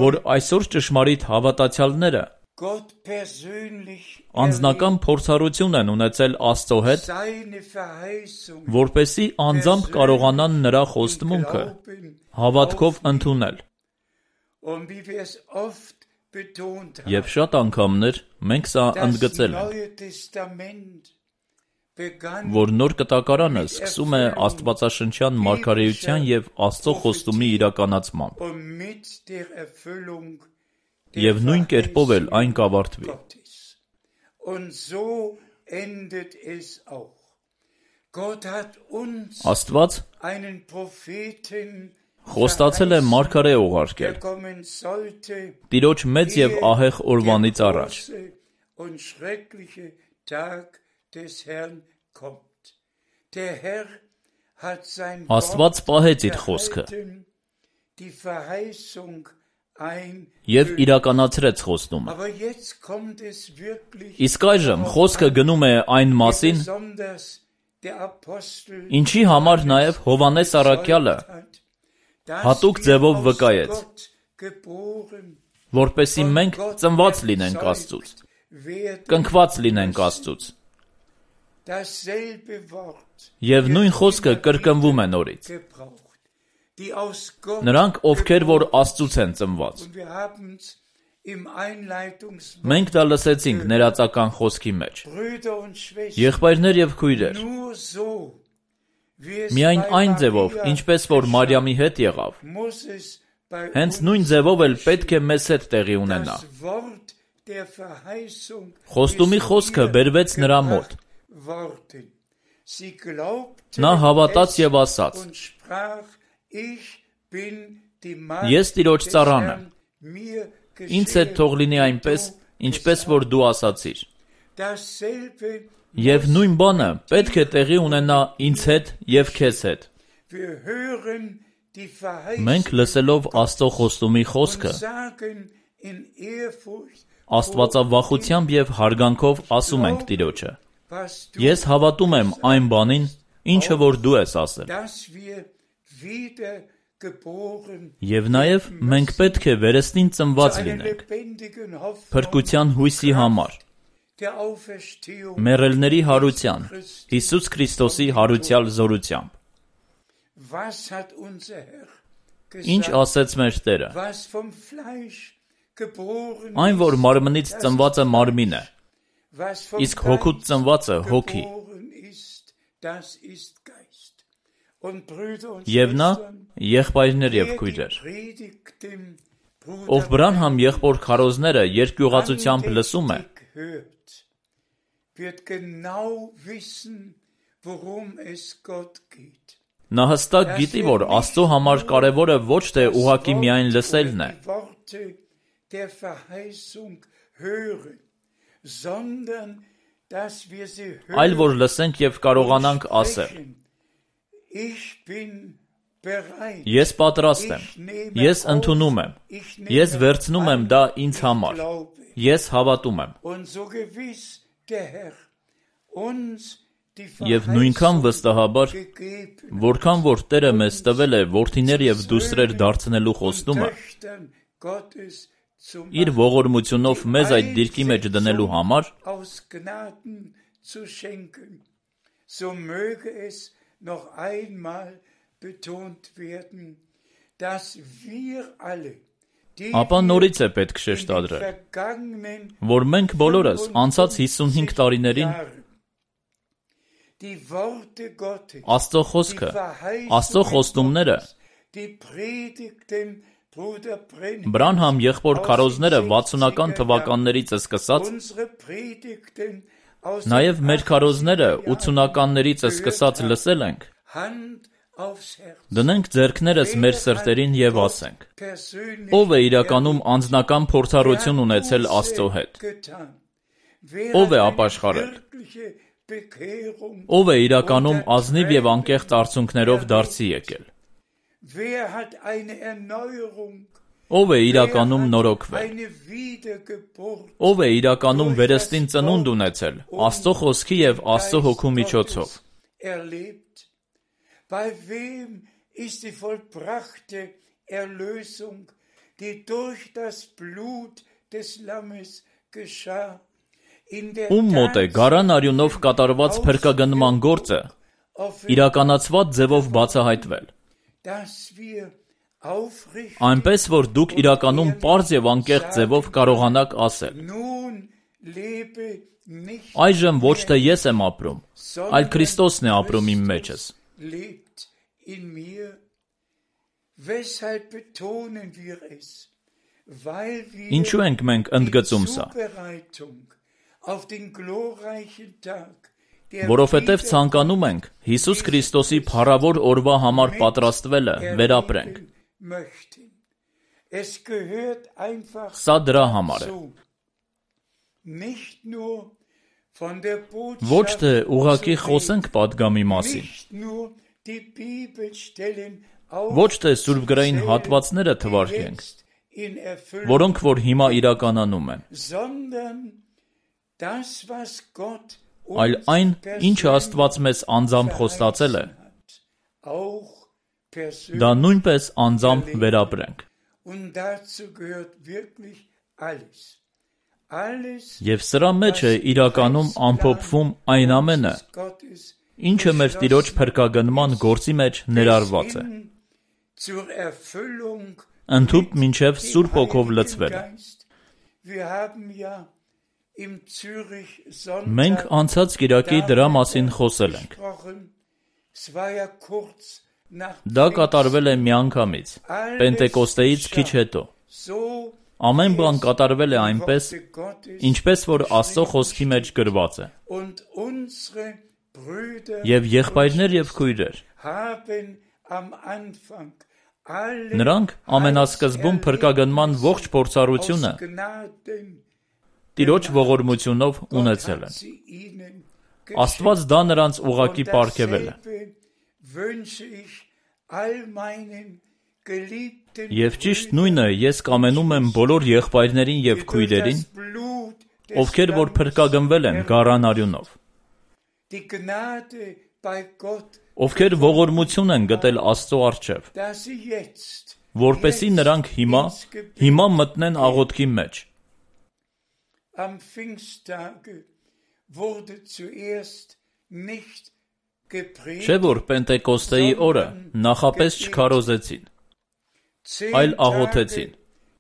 որ այսօր ճշմարիտ հավատացյալները Gott persönlich անձնական փորձառություն են ունեցել Աստծո հետ, seine Verheißung որպեսզի անձամբ կարողանան նրա խոստմունքը հավատքով ընդունել։ und wie wir es oft betont haben. Եվ շատ անգամներ մենք սա Das ընդգծել ենք, Neue Testament begann որ նոր կտակարանը սկսում է Աստվածաշնչյան մարգարեության եւ Աստծո խոստումի իրականացմամբ, und mit der Erfüllung եւ նույն կերպով էլ այն կավարտվի։ Gottes. Und so endet es auch. Gott hat uns Աստված einen Propheten խոստացել է մարգարե der ուղարկել kommen sollte, Տիրոջ մեծ եւ ահեղ օրվանից der առաջ, große und schreckliche Tag des Herrn kommt. Der Herr hat sein Աստված պահեց իր խոսքը die Verheißung և իրականացրեց խոստումը։ Aber jetzt kommt es wirklich Իսկ այժմ խոսքը գնում է այն մասին, besonders der Apostel ինչի համար նաև Հովհաննես առաքյալը հատուկ ձևով վկայեց, որպեսզի մենք ծնված լինենք Աստծուց, կնքված լինենք Աստծուց։ Եվ նույն խոսքը կրկնվում է նորից։ Նրանք, ովքեր որ Աստծուց են ծնված։ Մենք դա լսեցինք ներածական խոսքի մեջ։ Եղբայրներ և քույրեր, միայն այն ձևով, ինչպես որ Մարիամի հետ եղավ, հենց նույն ձևով էլ պետք է մեզ հետ տեղի ունենա։ Խոստումի խոսքը բերվեց նրա մոտ։ Նա հավատաց և ասաց. Ես Տիրոջ ծառան եմ, ինձ հետ թող լինի այնպես, ինչպես որ դու ասացիր։ Եվ նույն բանը պետք է տեղի ունենա ինձ հետ և քեզ հետ։ Մենք լսելով Աստծո խոստումի խոսքը, աստվածավախությամբ և հարգանքով ասում ենք Տիրոջը. Ես հավատում եմ այն բանին, ինչը որ դու ես ասել։ Եվ նաև մենք պետք է վերստին ծնված լինենք, փրկության հույսի համար, մեռելների հարության, Հիսուս Քրիստոսի հարությալ զորությամբ։ Ինչ ասեց մեր Տերը։ Այն, որ մարմնից ծնվածը մարմին է, իսկ հոգուց ծնվածը հոգի։ Եվ նա, եղբայրներ և քույրեր, ով Բրանհամ եղբոր քարոզները երկյուղածությամբ լսում է, նա հստակ գիտի, որ Աստծո համար կարևորը ոչ թե ուղղակի միայն լսելն է, այլ որ լսենք և կարողանանք ասել. Ես պատրաստ եմ, ես ընդունում եմ, ես վերցնում եմ դա ինձ համար, ես հավատում եմ։ Եվ նույնքան վստահաբար, որքան որ Տերը մեզ տվել է որդիներ և դուստրեր դարձնելու խոստումը, իր ողորմությունով մեզ այդ դիրքի մեջ դնելու համար, ապա նորից է պետք շեշտադրել, որ մենք բոլորս անցած 55 տարիներին Աստծո խոսքը, Աստծո խոստումները, Բրանհամ եղբոր քարոզները 60-ական թվականներից սկսած, նաև մեր քարոզները 80-ականներից սկսած լսել ենք, դնենք ձեռքներս մեր սրտերին և ասենք. ով է իրականում անձնական փորձառություն ունեցել Աստծո հետ, ով է ապաշխարել, ով է իրականում ազնիվ և անկեղծ արդյունքներով դարձի եկել, ով է իրականում նորոգվել, ով է իրականում վերստին ծնունդ ունեցել Աստծո խոսքի և Աստծո հոգու միջոցով, Bei wem ist die vollbrachte Erlösung, die durch das Blut des Lammes geschah? Ում մոտ է գարան արյունով կատարված փրկագնման գործը իրականացված ձևով բացահայտվել, այնպես որ դուք իրականում պարզ և անկեղծ ձևով կարողանաք ասել. այժմ ոչ թե ես եմ ապրում, այլ Քրիստոսն է ապրում իմ մեջս։ Lebt in mir. Weshalb betonen wir es? Weil wir Ինչու ենք մենք ընդգծում սա։ auf den glorreichen Tag, Որովհետև ցանկանում ենք Հիսուս Քրիստոսի փառավոր օրվա համար պատրաստվելը վերապրենք։ Es gehört einfach Սա դրա համար է։ Nicht nur Ոչ թե ուղղակի խոսենք պատգամի մասին, die Bibelstellen Ոչ թե Սուրբ գրային հատվածները թվարկենք, jetzt in Erfüllung, որոնք որ հիմա իրականանում են, sondern das, was Gott այլ uns այն, ինչը Աստված մեզ անձամբ խոստացել է, hat, auch persönlich. դա նույնպես անձամբ վերապրենք։ Und dazu gehört wirklich alles. Alles, Եվ սրա մեջ է իրականում ամփոփվում այն ամենը, Gottes ինչը մեր Տիրոջ փրկագնման գործի մեջ ներառված է, hin zur Erfüllung ընդհուպ մինչև Սուրբ Հոգով Heiligen լցվելը։ Geist. Wir haben ja im Zürich Մենք Sonntag անցած Կիրակի դրա մասին խոսել ենք։ gesprochen. Es war ja kurz nach Դա կատարվել է միանգամից, Պենտեկոստեից քիչ հետո։ so Ամեն բան կատարվել է այնպես, Gottes ինչպես որ Աստծո խոսքի մեջ գրված է։ und unsere Brüder Եվ եղբայրներ եւ քույրեր, haben am Anfang alle նրանք ամենասկզբում փրկագնման ողջ փորձառությունը aus Gnaden Տիրոջ ողորմությունով ունեցել են։ sie ihnen Աստված դա նրանց ուղակի պարգևել է։ Dasselbe wünsche ich all meinen geliebten Եվ ճիշտ նույնը ես կամենում եմ բոլոր եղբայրներին եւ քույրերին, das Blut des ովքեր որ փրկագնվել են գառան արյունով, die Gnade bei Gott, ովքեր ողորմություն են գտել Աստծո առջև, dass sie jetzt որպեսզի նրանք հիմա մտնեն աղոթքի մեջ։ am Pfingsttage wurde zuerst nicht gepredigt, Չէ՞ որ Պենտեկոստեի օրը նախապես չքարոզեցին, այլ աղոթեցին։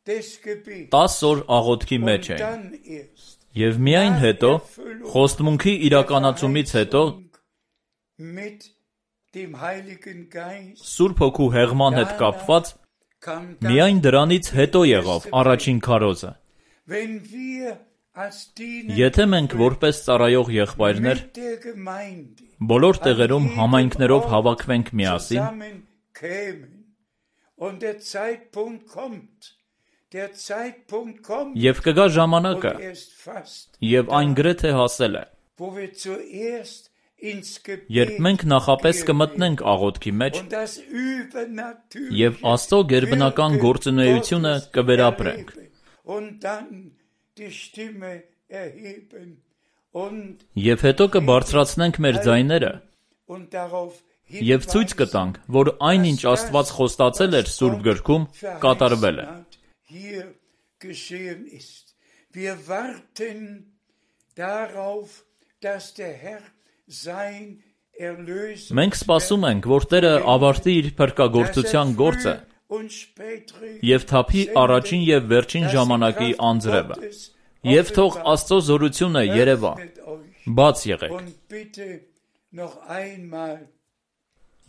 des Gebets 10 օր աղոթքի մեջ und էին։ dann erst Եվ միայն հետո, խոստմունքի իրականացումից հետո, mit dem Heiligen Geist Սուրբ Հոգու հեղման հետ կապված, kam dann, միայն դրանից հետո եղավ առաջին քարոզը։ wenn wir als Diener Եթե մենք որպես ծառայող եղբայրներ mit der Gemeinde բոլոր տեղերում համայնքներով հավաքվենք միասին, zusammenkämen und der Zeitpunkt kommt, եւ կգա ժամանակը, und erst fast, եւ այն գրեթե հասել է, wo wir zuerst ins երբ Gebet մենք նախապես կմտնենք աղոթքի մեջ und das Übernatürliche եւ Աստծո գերբնական գործունեությունը կվերապրենք։ und dann die Stimme erheben und Եվ հետո կբարձրացնենք մեր ձայները darauf եւ ցույց կտանք, որ այնինչ Աստված խոստացել էր Սուրբ գրքում, կատարվել է։ hier geschehen ist. Wir warten darauf, dass der Herr sein Erlöser Մենք սպասում ենք, որ Տերը ավարտի իր փրկագործության գործը եւ թափի առաջին եւ վերջին ժամանակի անձրևը։ Եվ թող Աստծո զորությունը երևա, բաց եղեք։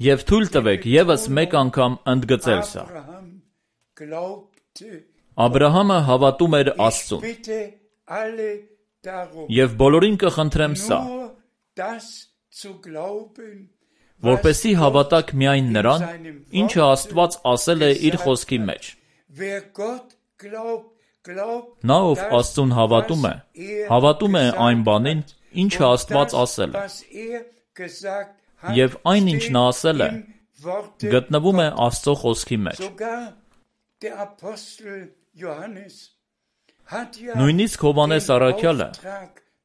Եվ թույլ տվեք եւս մեկ անգամ ընդգծել սա։ Աբրահամը հավատում էր Աստծուն։ Եվ բոլորին կխնդրեմ սա, որպեսզի հավատաք միայն նրան, ինչը Աստված ասել է իր խոսքի մեջ։ Նա, ով Աստծուն հավատում է այն բանին, ինչը Աստված ասել է։ Եվ այն, ինչ նա ասել է, գտնվում է Աստծո խոսքի մեջ։ Նույնիսկ Հովհաննես առաքյալը,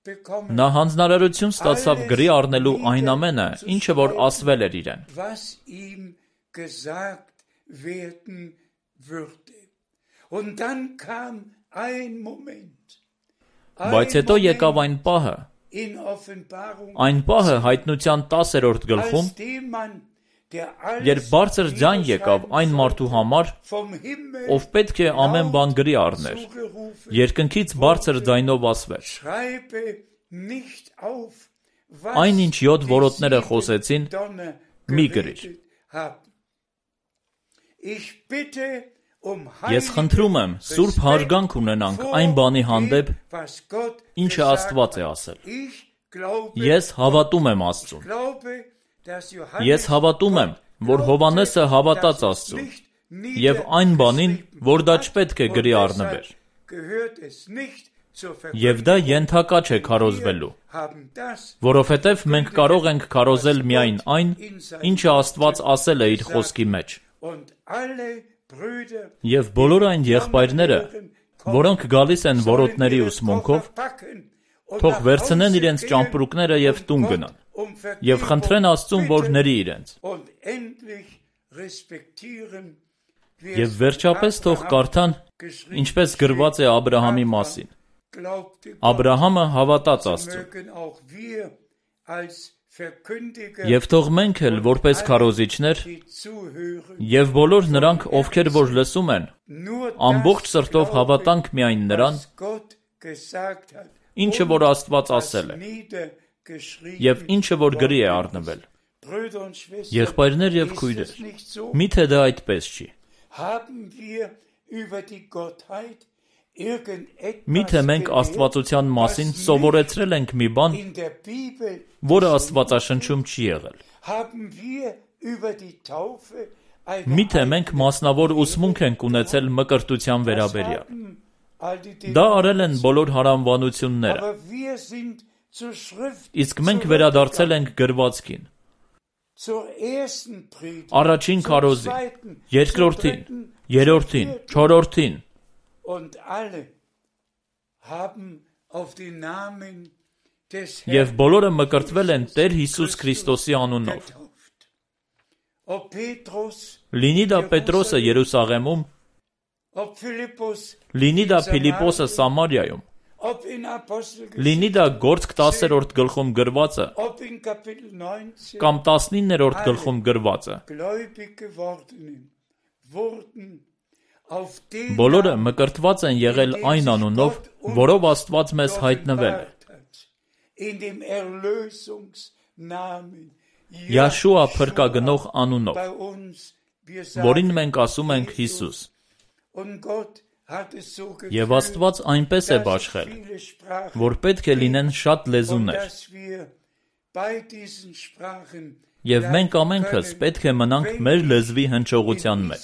նա հանձնարարություն ստացավ գրի առնելու այն ամենը, ինչը որ ասվել էր իրեն։ Բայց հետո եկավ այն պահը հայտնության 10-րդ գլխում, երբ բարձր ձայն եկավ այն մարդու համար, ով պետք է ամեն բան գրի առներ, երկնքից բարձր ձայնով ասվեց. Այն ինչ 7 որոտները խոսեցին, մի գրիր։ Ես խնդրում եմ, սուրբ հարգանք ունենանք այն բանի հանդեպ, ինչը Աստված է ասել։ Ես հավատում եմ Աստծուն։ Ես հավատում եմ, որ Հովհաննեսը հավատաց Աստծուն եւ այն բանին, որ դա չպետք է գրի առնվեր։ Եվ դա ենթակա չէ քարոզվելու, որովհետև մենք կարող ենք քարոզել միայն այն, ինչը Աստված ասել է իր խոսքի մեջ։ Եվ բոլոր այն եղբայրները, որոնք գալիս են որոտների ուսմունքով, թող վերցնեն իրենց ճամպրուկները եւ տուն գնան, եւ խնդրեն Աստծուն, որ ների իրենց։ Եվ վերջապես թող կարդան, ինչպես գրված է Աբրահամի մասին։ Աբրահամը հավատաց Աստծուն։ Եվ թող մենք էլ որպես քարոզիչներ եւ բոլոր նրանք, ովքեր որ լսում են, ամբողջ սրտով հավատանք միայն նրան, ինչը որ Աստված ասել է, եւ ինչը որ գրի է առնվել։ Եղբայրներ եւ քույրեր, միթե դա այդպես չի։ Միթե մենք աստվածության մասին սովորեցրել ենք մի բան, որը Աստվածաշնչում չի եղել։ Միթե մենք մասնավոր ուսմունք ենք ունեցել մկրտության վերաբերյալ։ Դա արել են բոլոր հարանվանությունները։ Իսկ մենք վերադարձել ենք գրվածքին։ Առաջին քարոզին, երկրորդին, երրորդին, չորրորդին։ Եվ բոլորը մկրտվել են Տեր Հիսուս Քրիստոսի անունով։ Լինի դա Պետրոսը Երուսաղեմում, լինի դա Փիլիպոսը Սամարիայում, լինի դա Գործք 10-րդ գլխում գրվածը, կամ 19-րդ գլխում գրվածը։ Բոլորը մկրտված են եղել այն անունով, որով Աստված մեզ հայտնվել է։ Յաշուա փրկագնող անունով, որին մենք ասում ենք Հիսուս։ Եվ Աստված այնպես է բաշխել, որ պետք է լինեն շատ լեզուներ։ Եվ մենք ամենքս պետք է մնանք մեր լեզվի հնչողության մեջ։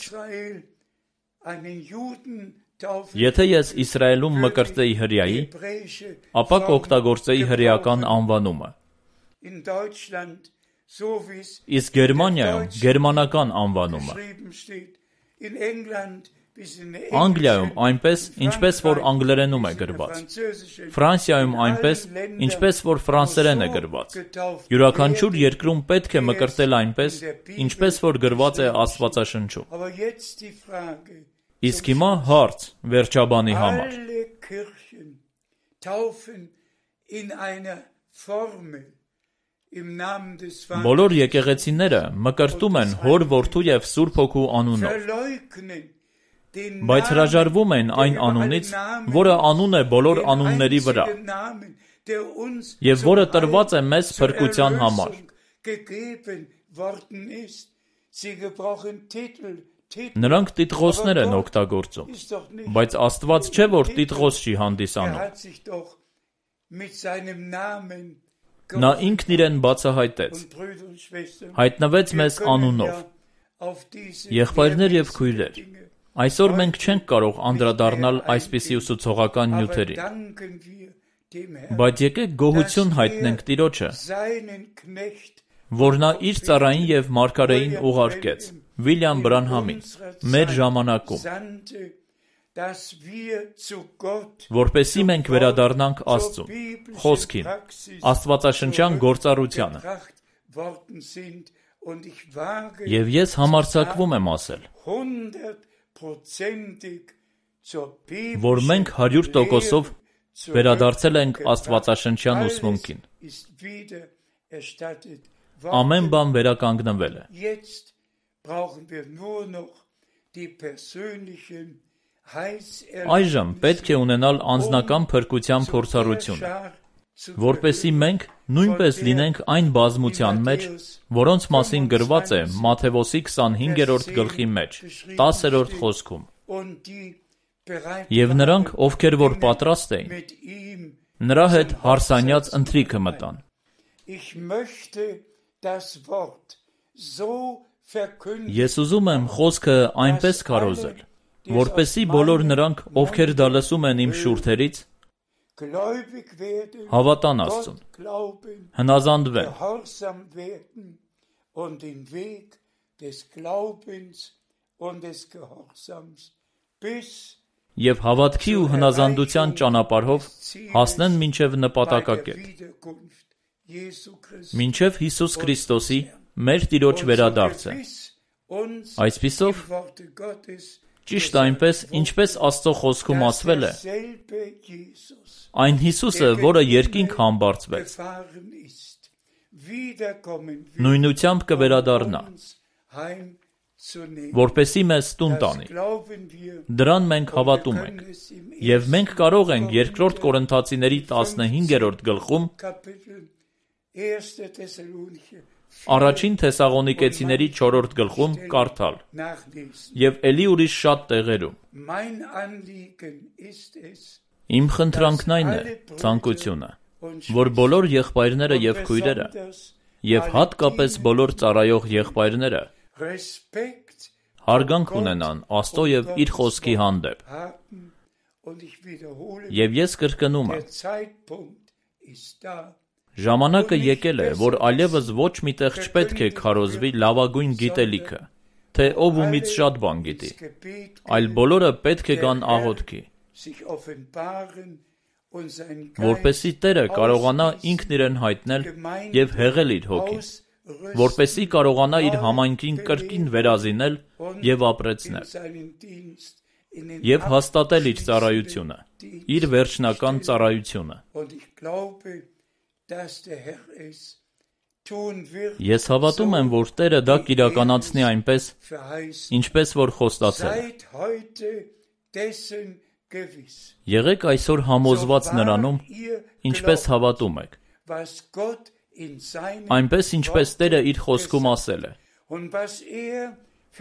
Եթե ես Իսրայելում մկրտեի հրեայի, ապա կօգտագործեի հրեական անվանումը։ Իսկ Գերմանիայում գերմանական անվանումը։ Անգլիայում այնպես, ինչպես որ անգլերենում է գրված։ Ֆրանսիայում այնպես, ինչպես որ ֆրանսերեն է գրված։ Յուրաքանչյուր երկրում պետք է մկրտել այնպես, ինչպես որ գրված է Աստվածաշնչում։ Իսկ հիմա հարց վերջաբանի համար։ Բոլոր եկեղեցիները մկրտում են Հոր, Որդու եւ Սուրբ Հոգու անունով, բայց հրաժարվում են այն անունից, որը անուն է բոլոր անունների վրա, եւ որը տրված է մեզ փրկության համար։ Նրանք տիտղոսներ են օգտագործում, բայց Աստված չէ, որ տիտղոս չի հանդիսանում։ Նա ինքն իրեն բացահայտեց, հայտնվեց մեզ անունով։ Եղբայրներ եւ քույրեր, այսօր մենք չենք կարող անդրադառնալ այսպիսի ուսուցողական նյութերին, բայց եկեք գոհություն հայտնենք Տիրոջը, որ նա իր ծառային եւ մարգարեին ուղարկեց, Վիլյամ Բրանհամին, մեր ժամանակում, որպեսզի մենք վերադառնանք Աստծուն, խոսքին, աստվածաշնչյան գործառությանը։ Եվ ես համարձակվում եմ ասել, որ մենք 100%-ով վերադարձել ենք աստվածաշնչյան ուսմունքին։ Ամեն բան վերականգնվել է։ Այժմ պետք է ունենալ անձնական փրկության փորձառությունը, որպեսզի մենք նույնպես լինենք այն բազմության մեջ, որոնց մասին գրված է Մատթեոսի 25-րդ գլխի մեջ, 10-րդ խոսքում։ Եվ նրանք, ովքեր որ պատրաստ էին, նրա հետ հարսանյաց ընթրիքը մտան։ Ես ուզում եմ խոսքը այնպես քարոզել, որպեսզի բոլոր նրանք, ովքեր դա լսում են իմ շուրթերից, gläubig werden, Հավատան Աստծուն, Gott glauben, հնազանդվեն gehorsam werden und den Weg des Glaubens und des Gehorsams bis և հավատքի ու հնազանդության ճանապարհով հասնեն մինչև bei der նպատակակետ, Wiederkunft Jesu Christi. մինչև Հիսուս Քրիստոսի մեր Տիրոջ վերադարձը։ Այսպիսով, ճիշտ այնպես, ինչպես Աստծո խոսքում ասվել է, այն Հիսուսը, որը երկինք համբարձվեց, նույնությամբ կվերադառնա, որպեսզի մեզ տուն տանի։ Դրան մենք հավատում ենք, և մենք կարող ենք 2 Կորինթացիների 15-րդ գլխում, առաջին Թեսաղոնիկեցիների 4-րդ գլխում կարդալ, և էլի ուրիշ շատ տեղերում։ Իմ խնդրանքն այն է, ցանկությունը, որ բոլոր եղբայրները և քույրերը, և հատկապես բոլոր ծառայող եղբայրները հարգանք ունենան Աստծո և իր խոսքի հանդեպ։ Եվ ես կրկնում եմ, ժամանակը եկել է, որ այլևս ոչ մի տեղ չպետք է քարոզվի լավագույն գիտելիքը, թե ով ումից շատ բան գիտի, այլ բոլորը պետք է գան աղոթքի, որպեսզի Տերը կարողանա ինքն իրեն հայտնել և հեղել իր հոգին, որպեսզի կարողանա իր համայնքին կրկին վերազինել և ապրեցնել, և հաստատել իր ծառայությունը, իր վերջնական ծառայությունը։ Ես հավատում եմ, որ Տերը դա կիրականացնի այնպես, ինչպես որ խոստացել է։ Եղեք այսօր համոզված նրանում, ինչպես հավատում եք, այնպես ինչպես Տերը իր խոսքում ասել է,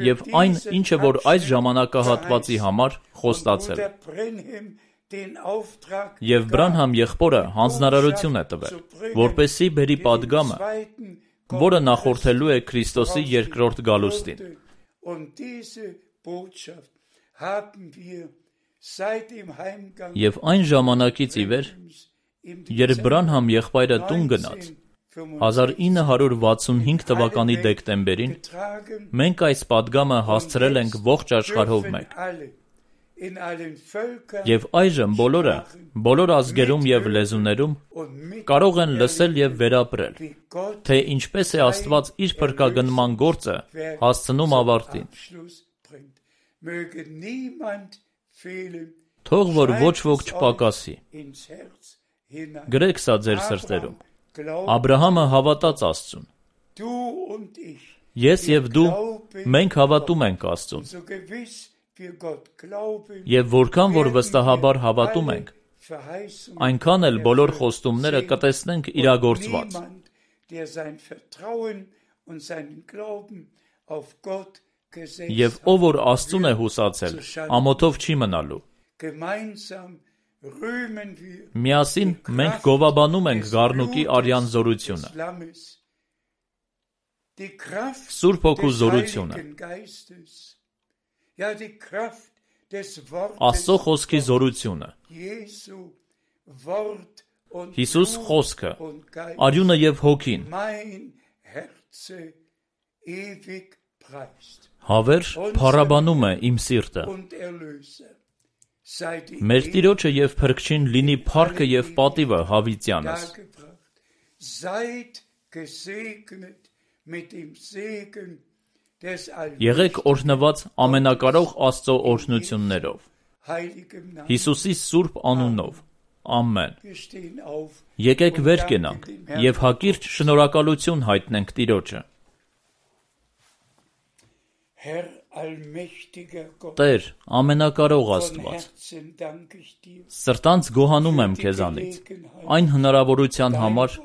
և այն, ինչը որ այս ժամանակահատվածի համար խոստացել է։ Եվ Բրանհամ եղբորը հանձնարարություն է տվել, որպեսզի բերի պատգամը, որը նախորդելու է Քրիստոսի երկրորդ գալուստին։ Եվ այն ժամանակից ի վեր, երբ Բրանհամ եղբայրը տուն գնաց, 1965 թվականի դեկտեմբերին, մենք այս պատգամը հասցրել ենք ողջ աշխարհով մեկ։ Եվ այժմ բոլորը, բոլոր ազգերում և լեզուներում կարող են լսել և վերապրել, թե ինչպես է Աստված իր փրկագնման գործը հասցնում ավարտին։ Թող որ ոչ ոք չպակասի։ Գրեք սա ձեր սրտերում։ Աբրահամը հավատաց Աստծուն։ Ես և դու, մենք հավատում ենք Աստծուն։ Եվ որքան որ վստահաբար հավատում ենք, այնքան էլ բոլոր խոստումները կտեսնենք իրագործված։ Եվ ով որ Աստծուն է հուսացել, ամոթով չի մնալու։ Միասին մենք գովաբանում ենք Գառնուկի արյան զորությունը, Սուրբ Հոգու զորությունը, Աստծո խոսքի զորությունը, Հիսուս խոսքը, արյունը և հոգին, հավերժ փառաբանում է իմ սիրտը։ Մեր Տիրոջը և Փրկչին լինի փառքը և պատիվը հավիտյանս։ Եղեք օրհնված ամենակարող Աստծո օրհնություններով, Հիսուսի սուրբ անունով, ամեն։ Եկեք վեր կենանք և հակիրճ շնորհակալություն հայտնենք Տիրոջը։ Տեր, ամենակարող Աստված, սրտանց գոհանում եմ քեզանից, այն հնարավորության համար,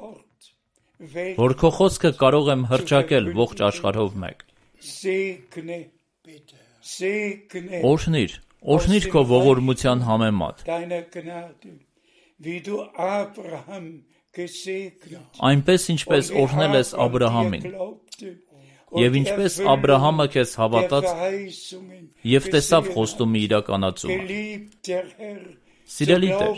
որ քո խոսքը կարող եմ հռչակել ողջ աշխարհով մեկ։ Օրհնիր, օրհնիր քո ողորմության համեմատ, այնպես ինչպես օրհնել ես Աբրահամին, և ինչպես Աբրահամը քեզ հավատաց և տեսավ խոստումի իրականացումը։ Սիրելի Տեր,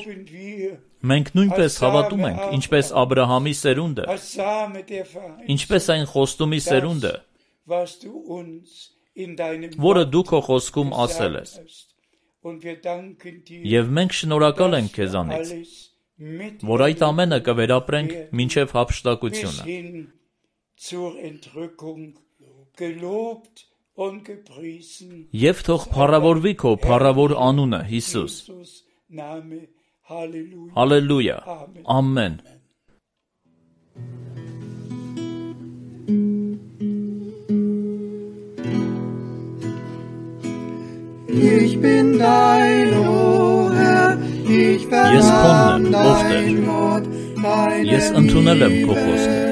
մենք նույնպես հավատում ենք, ինչպես Աբրահամի սերունդը, ինչպես այն խոստումի սերունդը, որը դու քո խոսքում ասել ես։ Եվ մենք շնորհակալ ենք քեզանից, որ այդ ամենը կվերապրենք մինչև հափշտակությունը։ Եվ թող փառավորվի քո փառավոր անունը, Հիսուս։ Հալելույա, ամեն։ Ich bin dein, o Herr, ich vernahm dein Wort, Ես ընդունել եմ քո խոսքը,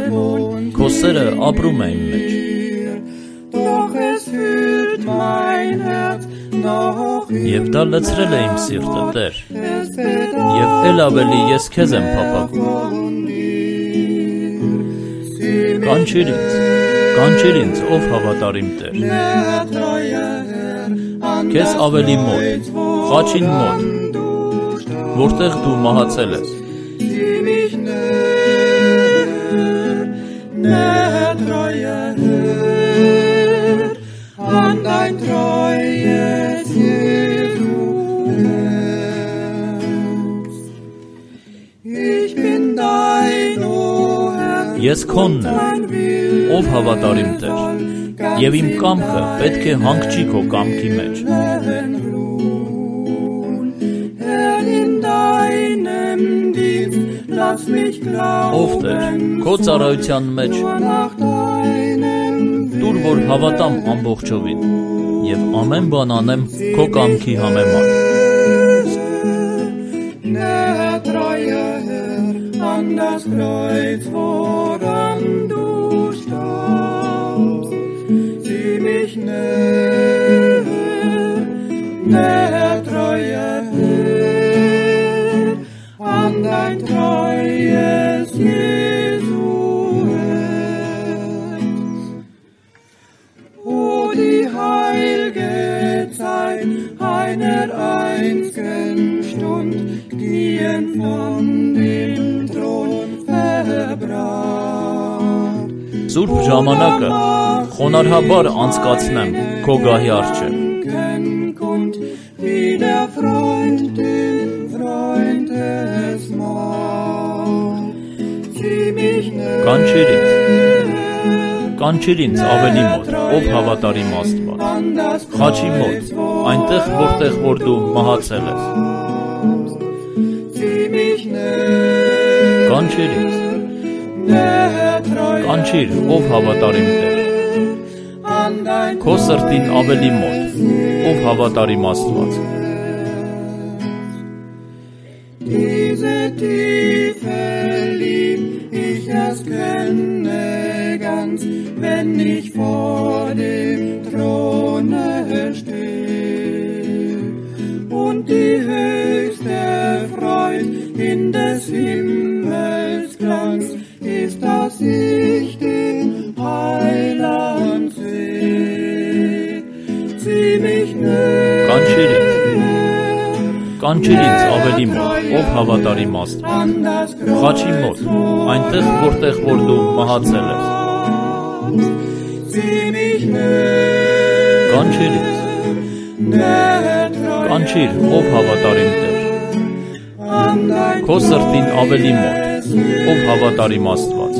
քո սերը ապրում է իմ մեջ։ doch es fühlt mein Herz noch Եվ դա լցրել է իմ սիրտը, Տեր, es bedarf եւ էլ ավելի ես քեզ եմ փափագում։ Կանչիր ինձ, ով հավատարիմ Տեր, քեզ ավելի մոտ, խաչին մոտ, որտեղ դու մահացել ես։ An dein treues Jesu-Herz. Ich bin dein, o Herr, Ես քոնն եմ, ով հավատարիմ Տեր, եւ իմ կամքը պետք է հանգչի քո կամքի մեջ։ Herr, in deinem Dienst lass mich Ով Տեր, քո ծառայության մեջ nach deinem դուր որ հավատամ ամբողջովին եւ ամեն բան անեմ քո կամքի համեմատ։ Der treue Herr, an das Kreuz, woran du starbst, sieh mich näher, der treue Herr, an dein treues Jesu-Herz. O die heilge Zeit einer einzigen Stund, gehen von dem Thron verbracht. Սուրբ ժամանակը խոնարհաբար անցկացնեմ քո գահի առջև։ Kund, wie der Freund den Freund es macht. Sieh mich Կանչիր ինձ ավելի մոտ, ով հավատարիմ Աստված։ Խաչի մոտ, այնտեղ որտեղ որ դու մահացել ես։ Կանչիր, ով հավատարիմ Տեր։ Քո սրտին ավելի մոտ, ով հավատարիմ Աստված։ Diese tiefe Lieb ich erst kenne ganz, wenn ich vor dem Throne stehe und die höchste Freude in des Himmels Glanz ist, dass ich den Heiland sehe. Zieh mich näher. Կանչիր ինձ ավելի մոտ, ով հավատարիմ Աստված։ Խաչի մոտ, այնտեղ որտեղ որ դու մահացել ես։ Կանչիր, ով հավատարիմ Տեր։ Քո սրտին ավելի մոտ, ով հավատարիմ Աստված։